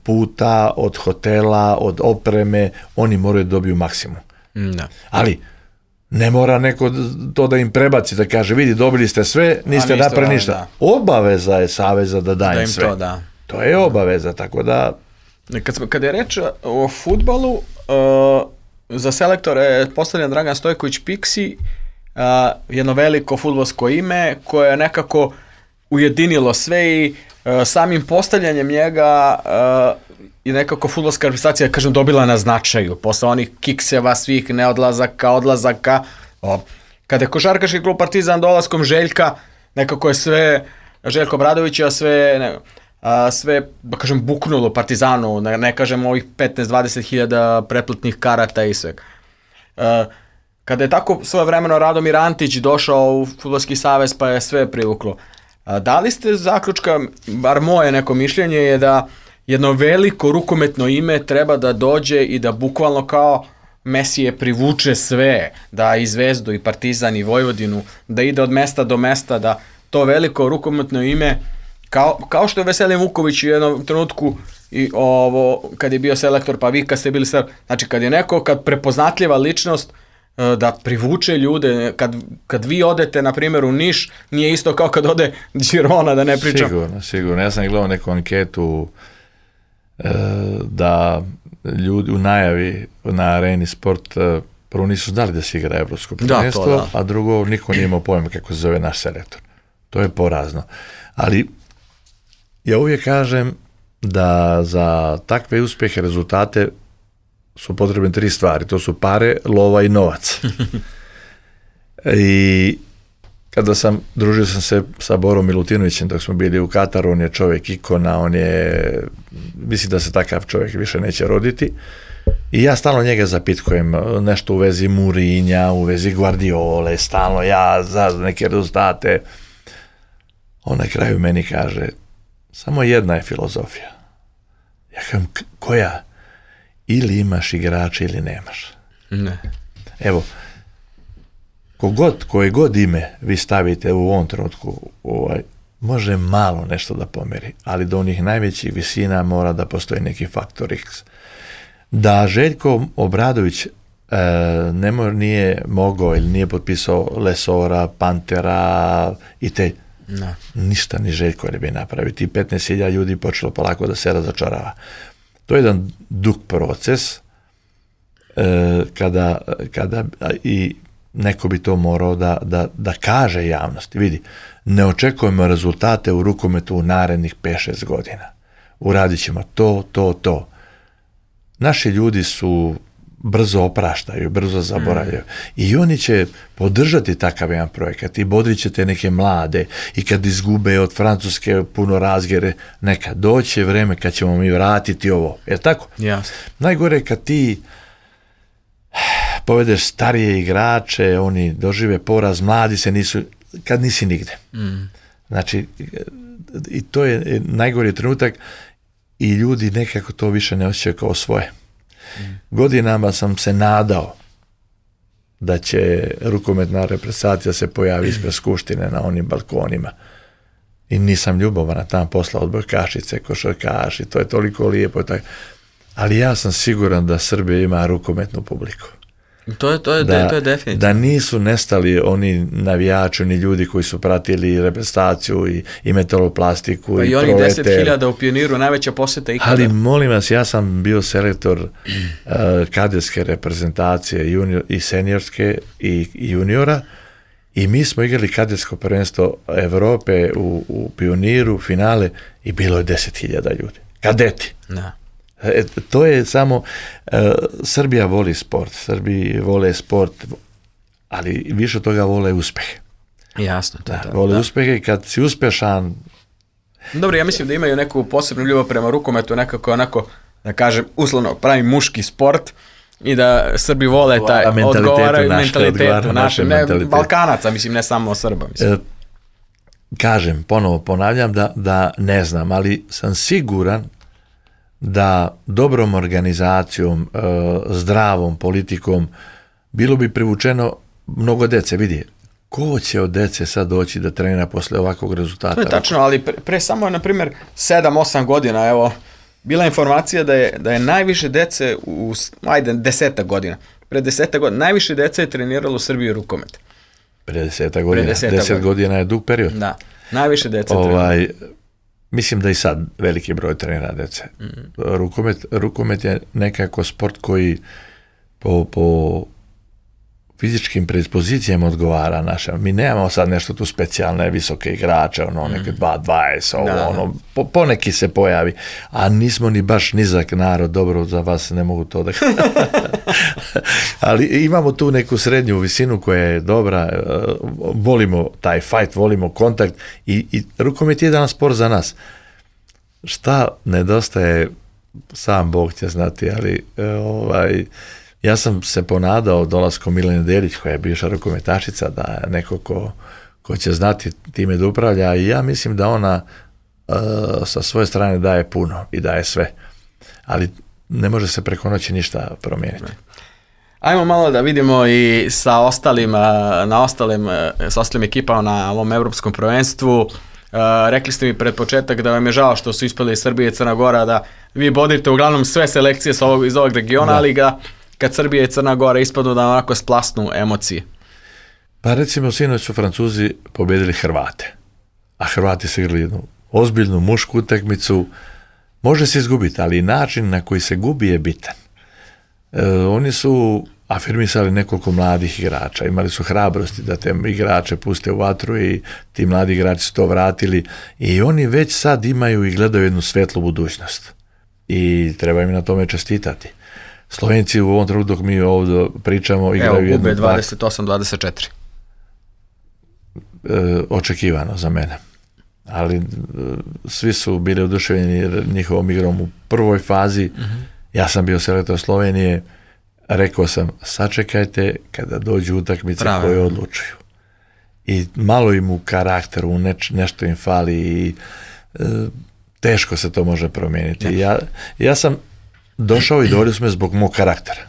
puta, od hotela, od opreme, oni moraju da dobiju maksimum. Da. Ali ne mora neko to da im prebaci, da kaže, vidi, dobili ste sve, niste napravili ništa. Da. Obaveza je Saveza da daje da im sve. To, da. To je obaveza, tako da... Kad, kad je reč o fudbalu, uh... za selektore je postavljen Dragan Stojković Piksi, uh, jedno veliko fudbalsko ime koje je nekako ujedinilo sve i uh, samim postavljanjem njega uh, i nekako fudbalska reprezentacija, kažem, dobila na značaju posle onih kikseva, svih neodlazaka, odlazaka. O, kada je košarkaški klub Partizan dolaskom Željka, nekako je sve, Željko Obradovića, sve... Ne, a, sve, da kažem, buknulo Partizanu, ne, ne kažem ovih petnaest do dvadeset hiljada pretplatnih karata i sve. A, kada je tako svojevremeno Radomir Antić došao u Fudbalski savez, pa je sve privuklo. A, da li ste zaključka, bar moje neko mišljenje je da jedno veliko rukometno ime treba da dođe i da bukvalno kao Mesije privuče sve, da i Zvezdu i Partizan i Vojvodinu, da ide od mesta do mesta, da to veliko rukometno ime Kao, kao što je Veselin Vuković u jednom trenutku i ovo, kad je bio selektor, pa vi kad ste bili selektor, znači kad je neko, kad prepoznatljiva ličnost da privuče ljude, kad, kad vi odete, na primjer, u Niš, nije isto kao kad ode Girona, da ne pričam. Sigurno, sigurno. Ja sam gledao neku anketu e, da ljudi u najavi na Areni Sport e, prvo nisu znali da se igra evropsko prvenstvo, da, a drugo niko nije imao pojma kako se zove naš selektor. To je porazno. Ali ja uvijek kažem da za takve uspjehe, rezultate su potrebne tri stvari. To su pare, lova i novac. I kada sam, družio sam se sa Borom Milutinovićem dok smo bili u Kataru, on je čovjek ikona, on je, mislim da se takav čovjek više neće roditi. I ja stalno njega zapitkujem nešto u vezi Mourinha, u vezi Guardiole, stalno ja za neke rezultate. On na kraju meni kaže, samo jedna je filozofija. Ja kažem, koja? Ili imaš igrače ili nemaš. Ne. Evo, kogod, koje god ime vi stavite u ovom trenutku, ovaj, može malo nešto da pomeri, ali do onih najvećih visina mora da postoji neki faktor X. Da Željko Obradović e, ne mo, nije mogao ili nije potpisao Lesora, Pantera i te, no. Ništa ni Željko ne bi napravio. Ti petnaest hiljada ljudi počelo polako da se razočarava. To je jedan dug proces e, kada, kada i neko bi to morao da, da, da kaže javnosti. Vidi, ne očekujemo rezultate u rukometu u narednih pet šest godina. Uradit ćemo to, to, to. Naši ljudi su brzo opraštaju, brzo zaboravljaju. Mm. I oni će podržati takav jedan projekat i bodrit će te neke mlade i kad izgube od Francuske puno razgere, neka doće vreme kad ćemo mi vratiti ovo. Je li tako? Yes. Najgore kad ti povedeš starije igrače, oni dožive poraz, mladi se nisu, kad nisi nigde. Mm. Znači, i to je najgori trenutak i ljudi nekako to više ne osjećaju kao svoje. Mm. Godinama sam se nadao da će rukometna reprezentacija se pojavi ispred Skupštine na onim balkonima. I nisam ljubovan tam posla odbojkašice, košarkaši, to je toliko lijepo. Tako. Ali ja sam siguran da Srbija ima rukometnu publiku. To je, to je, da, to je definitivno. Da nisu nestali oni navijači, oni ljudi koji su pratili reprezentaciju i, i metaloplastiku pa i, i onih deset hiljada u Pioniru, najveća posjeta ikada. Ali molim vas, ja sam bio selektor uh, kadetske reprezentacije junior, i seniorske i, i juniora i mi smo igrali kadetsko prvenstvo Evrope u, u Pioniru, finale i bilo je deset hiljada ljudi. Kadeti. Da. E, to je samo, e, Srbija voli sport, Srbiji vole sport, ali više od toga vole uspehe. Jasno. To da, da, vole da. uspehe i kad si uspešan... Dobro, ja mislim da imaju neku posebnu ljubav prema rukometu, nekako onako, da kažem, uslovno pravi muški sport i da Srbi vole taj, odgovaraju mentalitetu našem, ne mentalitet. Balkanaca, mislim, ne samo Srba. Mislim. E, kažem, ponovo ponavljam da, da ne znam, ali sam siguran da dobrom organizacijom, e, zdravom politikom bilo bi privučeno mnogo dece. Vidi, ko će od dece sad doći da trenira posle ovakvog rezultata? To je tačno, ali pre, pre samo, na primjer, sedam osam godina, evo, bila informacija da je, da je najviše dece u, ajde, desetak godina, pre desetak godina, najviše dece je treniralo u Srbiji rukomet. Pre desetak godina, deset godina. godina je dug period. Da, najviše dece ovaj, treniralo. Mislim da i sad veliki broj trenira dece. Mm. Rukomet, rukomet je nekako sport koji po, po fizičkim predispozicijama odgovara našem. Mi nemamo sad nešto tu specijalne visoke igrače, ono, neke dva dvadeset, ovo, da, ono, po, poneki se pojavi, a nismo ni baš nizak narod, dobro, za vas ne mogu to da... Ali imamo tu neku srednju visinu koja je dobra, volimo taj fight, volimo kontakt i, i rukomet je jedan sport za nas. Šta nedostaje, sam Bog će znati, ali ovaj... Ja sam se ponadao dolaskom Milene Delić, koja je bivša rukometašica, da neko ko, ko će znati time da upravlja i ja mislim da ona uh, sa svoje strane daje puno i daje sve. Ali ne može se preko noći ništa promijeniti. Ajmo malo da vidimo i sa ostalim, na ostalim, sa ostalim ekipama na ovom evropskom prvenstvu. Uh, rekli ste mi pred početak da vam je žao što su ispali Srbije i Crna Gora, da vi bodite uglavnom sve selekcije sa ovog, iz ovog regiona, da. Ali ga kad Srbija i Crna Gora ispadnu da onako splasnu emocije? Pa recimo sinoć su Francuzi pobedili Hrvate, a Hrvati su igrali jednu ozbiljnu mušku utakmicu. Može se izgubiti, ali način na koji se gubi je bitan. E, oni su afirmisali nekoliko mladih igrača, imali su hrabrosti da te igrače puste u vatru i ti mladi igrači su to vratili i oni već sad imaju i gledaju jednu svetlu budućnost i treba im na tome čestitati. Slovenci u ovom trenutku dok mi ovdje pričamo igraju jednu... Evo, gube dvadeset osam dvadeset četiri. E, očekivano za mene. Ali e, svi su bili oduševljeni njihovom igrom u prvoj fazi mm-hmm. Ja sam bio selektor Slovenije, rekao sam, sačekajte kada dođu utakmice Pravo. koje odlučuju. I malo im u karakteru, neč, nešto im fali i e, teško se to može promijeniti. Ja, ja sam došao i dovoljili su me zbog mog karaktera.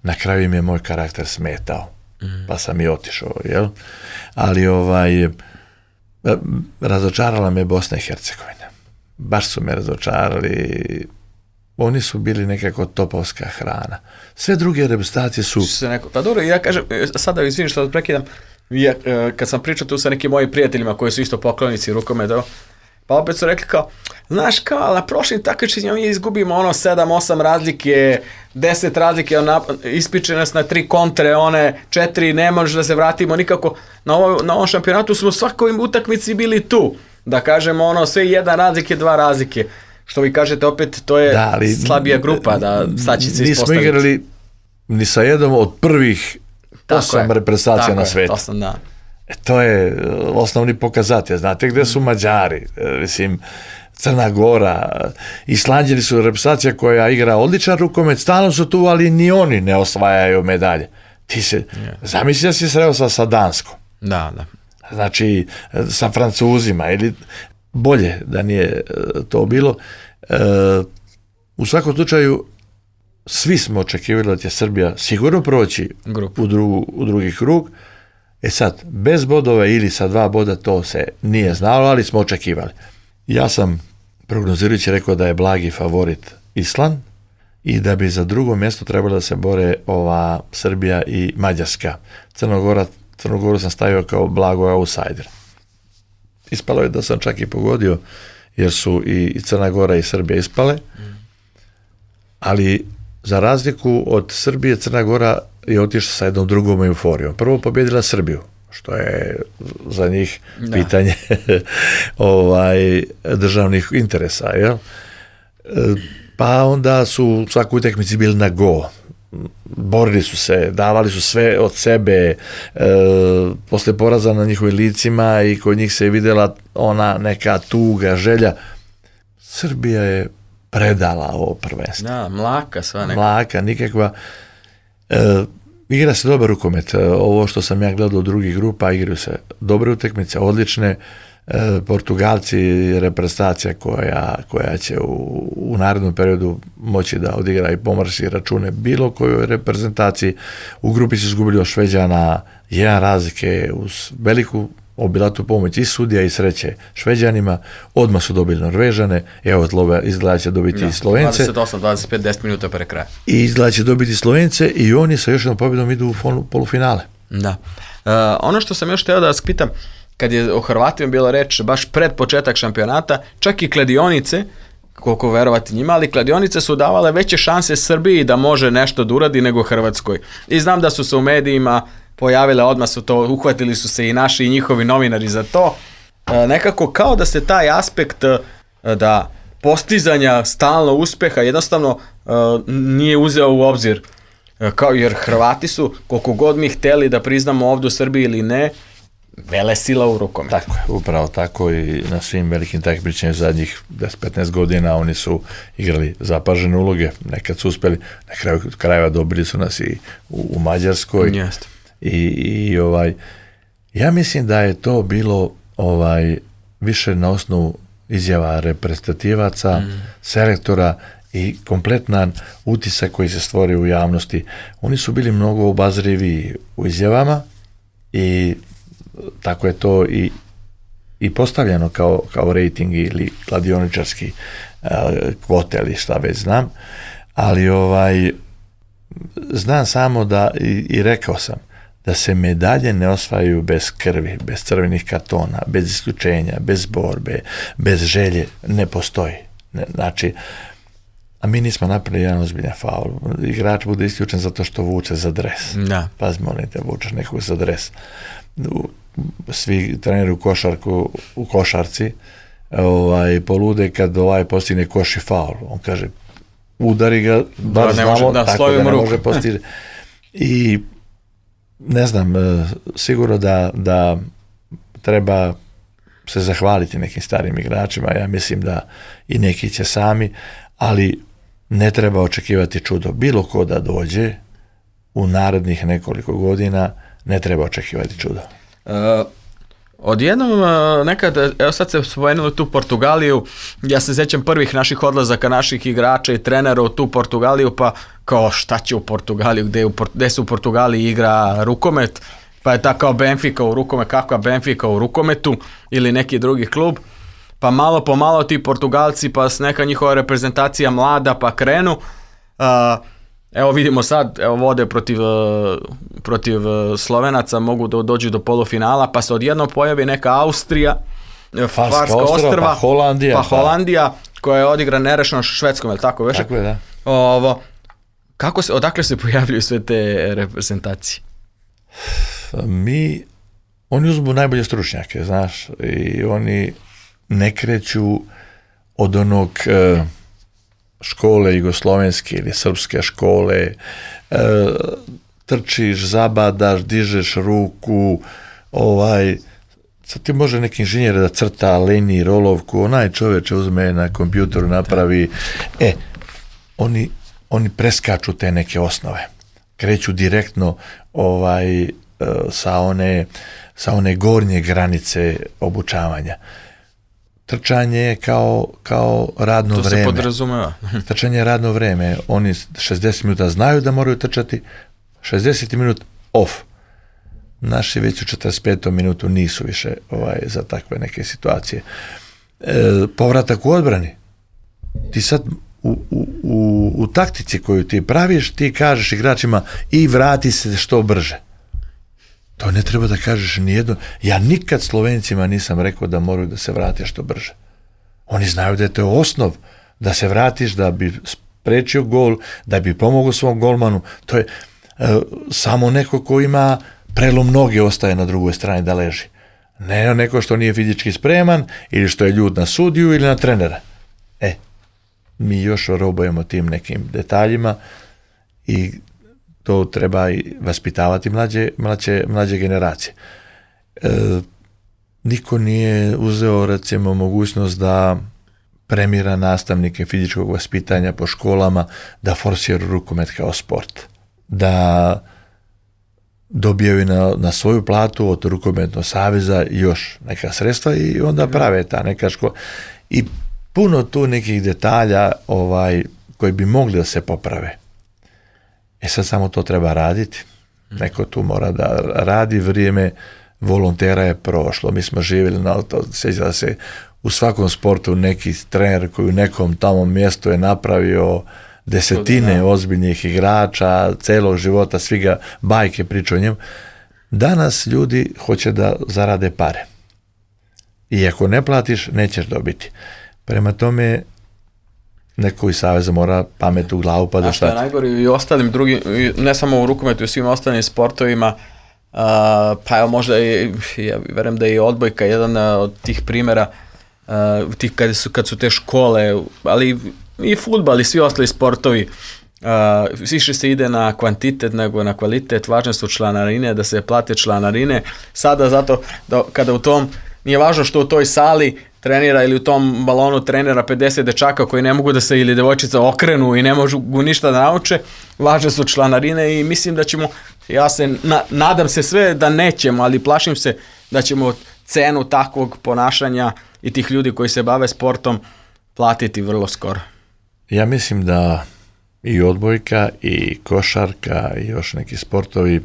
Na kraju im je moj karakter smetao, mm. pa sam i otišao, jel? Ali ovaj, razočarala me Bosna i Hercegovina. Baš su me razočarali. Oni su bili nekako topovska hrana. Sve druge reprezentacije su... Neko, pa dobro, ja kažem, sada izvinim što da prekidam, ja, kad sam pričao tu sa nekim mojim prijateljima koji su isto poklonici rukometa, pa opet su rekli kao, znaš kao, na prošlim takmičenjima mi izgubimo ono sedam osam razlike, deset razlike, ispiče nas na tri kontre, one četiri, ne može da se vratimo nikako. Na, ovo, na ovom šampionatu smo svakoj utakmici bili tu. Da kažemo ono, sve jedan razlike, dva razlike. Što vi kažete opet, to je da, ali, slabija grupa, da sad će se ispostaviti. Nismo igrali ni sa jednom od prvih tako osam je, reprezentacija na svijetu. Osam, da. E, to je osnovni pokazatelj. Znate gde su Mađari, mislim, Crna Gora, Islanđani su reprezentacija koja igra odličan rukomet, stalno su tu, ali ni oni ne osvajaju medalje. Ti se, yeah. zamisli da si sreo sa, sa Danskom. Da, da. Znači, sa Francuzima, ili bolje da nije to bilo. E, u svakom slučaju, svi smo očekivali da će Srbija sigurno proći u, drugu, u drugi krug. E sad, bez bodova ili sa dva boda to se nije znalo, ali smo očekivali. Ja sam prognozirajući rekao da je blagi favorit Island i da bi za drugo mjesto trebalo da se bore ova Srbija i Mađarska. Crnogora, Crnogoru sam stavio kao blago outsider. Ispalo je da sam čak i pogodio, jer su i Crna Gora i Srbija ispale, ali za razliku od Srbije, Crna Gora je otišla sa jednom drugom euforijom. Prvo pobjedila Srbiju, što je za njih da. pitanje ovaj, državnih interesa. Jel? Pa onda su svaku utakmici bili na go. Borili su se, davali su sve od sebe, e, posle poraza na njihovim licima i kod njih se je vidjela ona neka tuga, želja. Srbija je predala ovo prvenstvo. Da, mlaka sva neka. Mlaka, nikakva. E, igra se dobar rukomet. Ovo što sam ja gledao u drugih grupa, igraju se dobre utakmice, odlične. E, Portugalci, reprezentacija koja, koja će u, u narednom periodu moći da odigra i pomarši račune bilo kojoj reprezentaciji. U grupi su izgubili od Šveđana jedan razlike uz veliku obilatu pomoć i sudija i sreće Šveđanima, odmah su dobili Norvežane, evo izgleda će dobiti ja, i Slovence. dvadeset osam dvadeset pet deset minuta pre kraja. I izgleda će dobiti Slovence i oni sa još jednom pobjedom idu u polufinale. Da. Uh, ono što sam još htio da vas pitam, kad je o Hrvatima bila reč baš pred početak šampionata, čak i kladionice, koliko verovati njima, ali kladionice su davale veće šanse Srbiji da može nešto da uradi nego Hrvatskoj. I znam da su se u medijima pojavile, odmah su to, uhvatili su se i naši i njihovi novinari za to. E, nekako kao da se taj aspekt e, da postizanja stalno uspeha jednostavno e, nije uzeo u obzir. E, kao, jer Hrvati su, koliko god mi hteli da priznamo ovdje u Srbiji ili ne, vele sila u rukometu. Tako je, upravo tako i na svim velikim takmičenjima zadnjih deset petnaest godina oni su igrali zapažene uloge, nekad su uspeli, na kraju krajeva dobili su nas i u, u Mađarskoj. Jeste. I, i ovaj, ja mislim da je to bilo ovaj više na osnovu izjava reprezentativaca, mm. selektora i kompletan utisak koji se stvori u javnosti. Oni su bili mnogo obazrivi u izjavama i tako je to i, i postavljeno kao, kao rating ili kladioničarski uh, kvote ili šta već znam, ali ovaj znam samo da i, i rekao sam da se medalje ne osvajaju bez krvi, bez crvenih kartona, bez isključenja, bez borbe, bez želje, ne postoji. Ne, znači, a mi nismo napravili jedan ozbiljan faul. Igrač bude isključen zato što vuče za dres. Da. Pazi, molim te, vučeš nekog za dres. Svi treneri u košarku, u košarci ovaj, polude kad ovaj postigne koš i faul. On kaže, udari ga, bar da, znamo, može, da, tako da ne ruku. Može postići. I ne znam, sigurno da, da treba se zahvaliti nekim starim igračima, ja mislim da i neki će sami, ali ne treba očekivati čudo. Bilo ko da dođe u narednih nekoliko godina, ne treba očekivati čudo. Uh, odjednom uh, nekad, evo sad se spomenuli tu Portugaliju, ja se sjećam prvih naših odlazaka naših igrača i trenera u tu Portugaliju, pa kao šta će u Portugaliju, gde, u, gde se u Portugaliji igra rukomet, pa je ta kao Benfica u rukomet, kakva Benfica u rukometu ili neki drugi klub, pa malo po malo ti Portugalci, pa neka njihova reprezentacija mlada, pa krenu. Uh, evo vidimo sad, evo vode protiv, protiv Slovenaca, mogu da dođu do polufinala, pa se odjednom pojavi neka Austrija, Farska ostrva, pa Holandija, pa Holandija koja je odigra nerešeno Švedskom, je li tako već? Tako je, da. Ovo, kako se, odakle se pojavljuju sve te reprezentacije? Mi, oni uzmu najbolje stručnjake, znaš, i oni ne kreću od onog e, škole jugoslovenske ili srpske škole, e, trčiš, zabadaš, dižeš ruku, ovaj, sad ti može neki inženjer da crta liniju, rolovku, onaj čoveče uzme na kompjuteru, napravi, e, oni, oni preskaču te neke osnove, kreću direktno ovaj, sa one, sa one gornje granice obučavanja. Trčanje je kao, kao radno to vreme. To se podrazumeva. Trčanje je radno vreme. Oni šezdeset minuta znaju da moraju trčati, šezdeset minuta off. Naši već u četrdeset petom minutu nisu više ovaj, za takve neke situacije. E, povratak u odbrani. Ti sad u, u, u, u taktici koju ti praviš, ti kažeš igračima i vrati se što brže. To ne treba da kažeš nijedno. Ja nikad Slovencima nisam rekao da moraju da se vrate što brže. Oni znaju da je to osnov da se vratiš, da bi sprečio gol, da bi pomogao svom golmanu. To je e, samo neko ko ima prelom noge ostaje na drugoj strani da leži. Ne neko što nije fizički spreman ili što je ljut na sudiju ili na trenera. E, mi još robujemo tim nekim detaljima i to treba i vaspitavati mlađe, mlađe, mlađe generacije. E, niko nije uzeo, recimo, mogućnost da premira nastavnike fizičkog vaspitanja po školama, da forsiraju rukomet kao sport. Da dobijaju na, na svoju platu od rukometnog saveza još neka sredstva i onda prave ta neka škola. I puno tu nekih detalja ovaj, koji bi mogli da se poprave. E sad samo to treba raditi. Neko tu mora da radi, vrijeme volontera je prošlo. Mi smo živjeli na to, sjeća da se u svakom sportu neki trener koji u nekom tamo mjestu je napravio desetine ozbiljnih igrača, celog života, svi ga bajke pričaju o njemu. Danas ljudi hoće da zarade pare. I ako ne platiš, nećeš dobiti. Prema tome, neko iz saveza mora pamet u glavu pa da šta. A što je najgore i ostalim drugim, ne samo u rukometu, i svim ostalim sportovima, uh, pa evo možda i, ja verujem da je i odbojka jedan od tih primjera, uh, tih kad su, kad su te škole, ali i fudbal i svi ostali sportovi, uh, više se ide na kvantitet nego na kvalitet, važne su članarine, da se plate članarine, sada zato da kada u tom, nije važno što u toj sali trenira ili u tom balonu trenera pedeset dečaka koji ne mogu da se ili devojčica okrenu i ne mogu ništa da nauče, važne su članarine i mislim da ćemo, ja se na, nadam se sve da nećemo, ali plašim se da ćemo cenu takvog ponašanja i tih ljudi koji se bave sportom platiti vrlo skoro. Ja mislim da i odbojka i košarka i još neki sportovi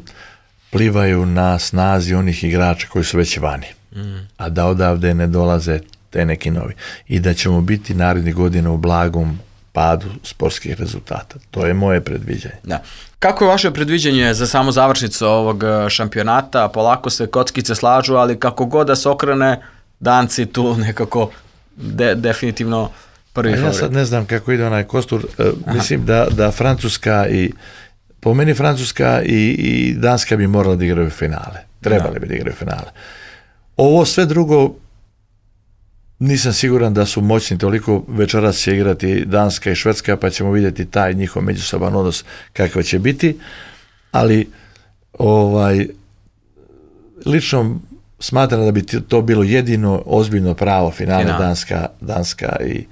plivaju na snazi onih igrača koji su već vani, mm. a da odavde ne dolaze te neki novi. I da ćemo biti narednih godina u blagom padu sportskih rezultata. To je moje predviđanje. Da. Kako je vaše predviđanje za samo završnicu ovog šampionata? Polako se kockice slažu, ali kako god da se okrene, Danci tu nekako de, definitivno prvi favorit. Ja sad ne znam kako ide onaj kostur. Uh, mislim da, da Francuska i po meni Francuska i, i Danska bi morali da igraju finale. Trebali da. bi da igraju finale. Ovo sve drugo nisam siguran da su moćni toliko. Večeras će igrati Danska i Švedska, pa ćemo vidjeti taj njihov međusoban odnos kakav će biti, ali ovaj lično smatram da bi to bilo jedino ozbiljno pravo finale Final. Danska, Danska i,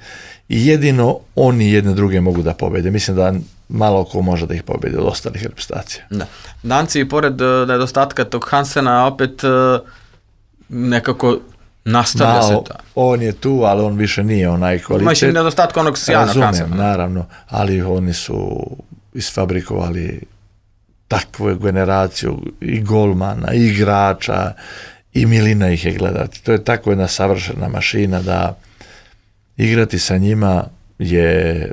i jedino oni jedne druge mogu da pobede. Mislim da malo ko može da ih pobedi od ostalih reprezentacija. Da. Danci, pored uh, nedostatka tog Hansena, opet uh, nekako nastavlja Malo, se ta. on je tu, ali on više nije onaj kvalitet. Imaš i nedostatka onog sjajnog Razumem, Hansena. naravno, ali oni su isfabrikovali takvu generaciju i golmana, i igrača, i milina ih je gledati. To je tako jedna savršena mašina da igrati sa njima je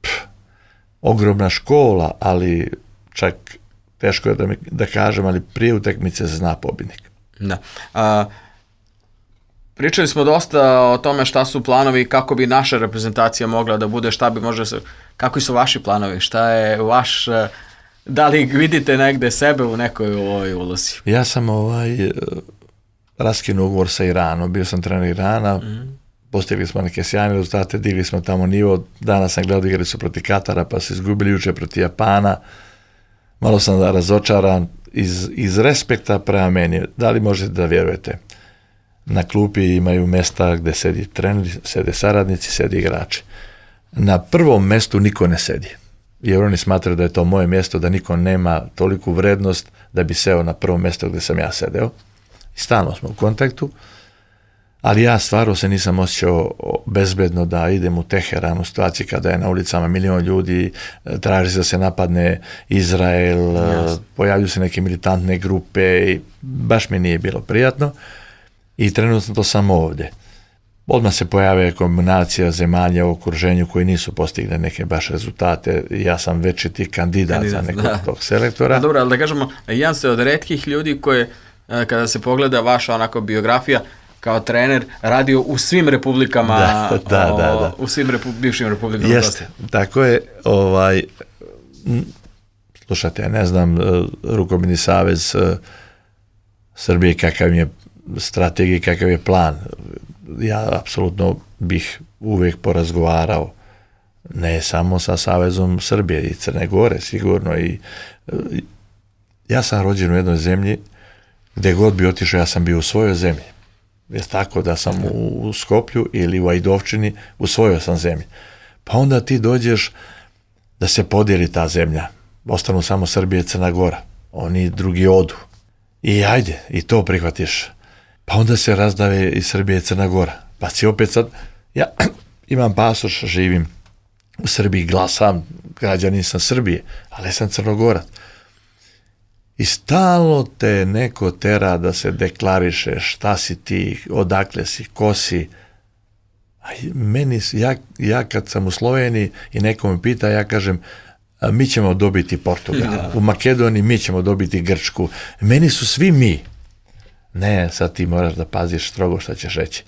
pff, ogromna škola, ali čak teško je da, mi, da kažem, ali prije utakmice se zna pobjednik. Da. A, pričali smo dosta o tome šta su planovi, kako bi naša reprezentacija mogla da bude, šta bi možda se, kakvi su vaši planovi, šta je vaš, da li vidite negde sebe u nekoj ovoj ulozi? Ja sam ovaj raskinuo ugovor sa Iranom, bio sam trener Irana, mm. postigli smo neke sjajne rezultate, digli smo tamo nivo, danas sam gledao igrali su protiv Katara, pa su izgubili juče protiv Japana, malo sam razočaran iz, iz respekta prema meni. Da li možete da vjerujete? Na klupi imaju mesta gde sedi treneri, sede saradnici, sedi igrači. Na prvom mestu niko ne sedi, jer oni smatraju da je to moje mjesto, da niko nema toliku vrednost da bi seo na prvo mjesto gde sam ja sedeo. I stalno smo u kontaktu, ali ja stvarno se nisam osjećao bezbedno da idem u Teheran u situaciji kada je na ulicama milion ljudi, traži da se napadne Izrael, yes. pojavljuju se neke militantne grupe i baš mi nije bilo prijatno i trenutno to sam ovdje. Odmah se pojave kombinacija zemalja u okruženju koji nisu postigli neke baš rezultate. Ja sam večiti kandidat, kandidat za nekog da. tog selektora. A dobro, ali da kažemo, jedan ste od retkih ljudi koje, kada se pogleda vaša onako biografija, kao trener radio u svim republikama, da, da, o, da, da. u svim repu, bivšim republikama. Jeste, tako je, ovaj, slušajte, ja ne znam, Rukometni savez Srbije kakav je strategija, kakav je plan. Ja apsolutno bih uvijek porazgovarao, ne samo sa Savezom Srbije i Crne Gore, sigurno. I, ja sam rođen u jednoj zemlji, gdje god bi otišao, ja sam bio u svojoj zemlji. Je tako da sam u Skoplju ili u Ajdovčini, u svojoj sam zemlji. Pa onda ti dođeš da se podijeli ta zemlja. Ostanu samo Srbije i Crna Gora. Oni drugi odu. I ajde, i to prihvatiš. Pa onda se razdave i Srbije i Crna Gora. Pa si opet sad, ja imam pasoš, živim u Srbiji, glasam, građanin sam Srbije, ali sam Crnogorac. I stalno te neko tera da se deklariše šta si ti, odakle si, ko si. A meni, ja, ja kad sam u Sloveniji i neko me pita, ja kažem, mi ćemo dobiti Portugal. U Makedoniji mi ćemo dobiti Grčku. Meni su svi mi. Ne, sad ti moraš da paziš strogo šta ćeš reći.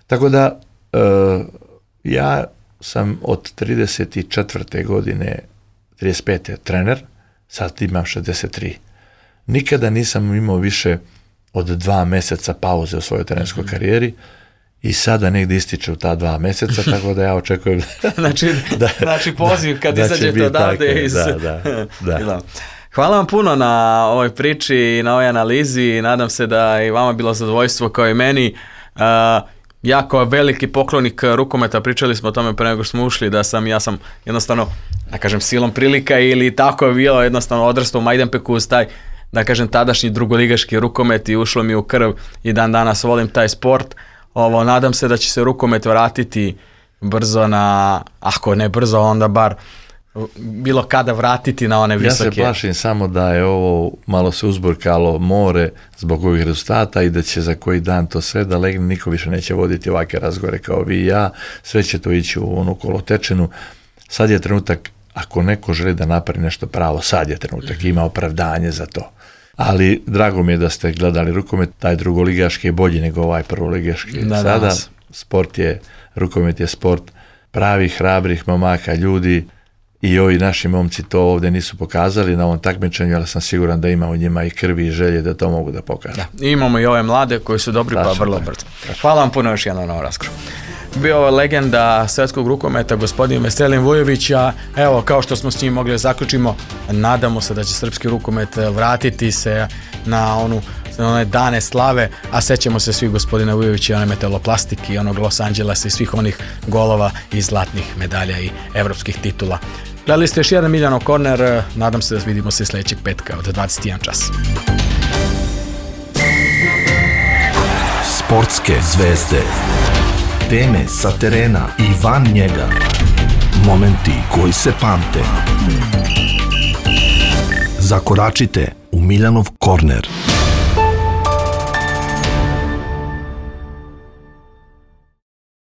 Tako da, uh, ja sam od trideset četvrte godine, trideset pete trener, sad imam šezdeset tri. Nikada nisam imao više od dva meseca pauze u svojoj trenerskoj karijeri i sada negdje ističe u ta dva meseca, tako da ja očekujem znači, da, znači poziv kad da izađete odavde iz... Da, da, da. Hvala vam puno na ovoj priči i na ovoj analizi. Nadam se da i vama bilo zadovoljstvo kao i meni. Uh, ja kao veliki poklonik rukometa, pričali smo o tome pre nego što smo ušli, da sam, ja sam jednostavno, da kažem, silom prilika ili tako je bilo, jednostavno odrastao u Majdanpeku uz taj, da kažem, tadašnji drugoligaški rukomet i ušlo mi u krv i dan danas volim taj sport. Ovo, nadam se da će se rukomet vratiti brzo na, ako ne brzo, onda bar bilo kada vratiti na one visoke. Ja se plašim samo da je ovo malo se uzburkalo more zbog ovih rezultata i da će za koji dan to sve da legne, niko više neće voditi ovakve razgovore kao vi i ja, sve će to ići u onu kolotečinu. Sad je trenutak, ako neko želi da napravi nešto pravo, sad je trenutak, ima opravdanje za to. Ali drago mi je da ste gledali rukomet, taj drugoligaški je bolji nego ovaj prvoligaški. Da, sada danas. Sport je, rukomet je sport pravih, hrabrih momaka, ljudi. I ovi naši momci to ovdje nisu pokazali na ovom takmičenju, ali sam siguran da ima u njima i krvi i želje da to mogu da pokažu. Da. Imamo i ove mlade koji su dobri, Tačno, pa vrlo brzo. Hvala vam puno još jednom na ovom razgovoru. Bio je legenda svetskog rukometa, gospodin Veselin Vujović, a evo, kao što smo s njim mogli zaključimo, nadamo se da će srpski rukomet vratiti se na onu one dane slave, a sećamo se svi gospodina Vujovića i one metaloplastike i onog Los Angelesa i svih onih golova i zlatnih medalja i evropskih titula. Gledali ste još jedan Miljanov korner, nadam se da vidimo se sljedećeg petka od dvadeset jedan čas. Sportske zvezde, teme sa terena i van njega, momenti koji se pamte. Zakoračite u Miljanov korner.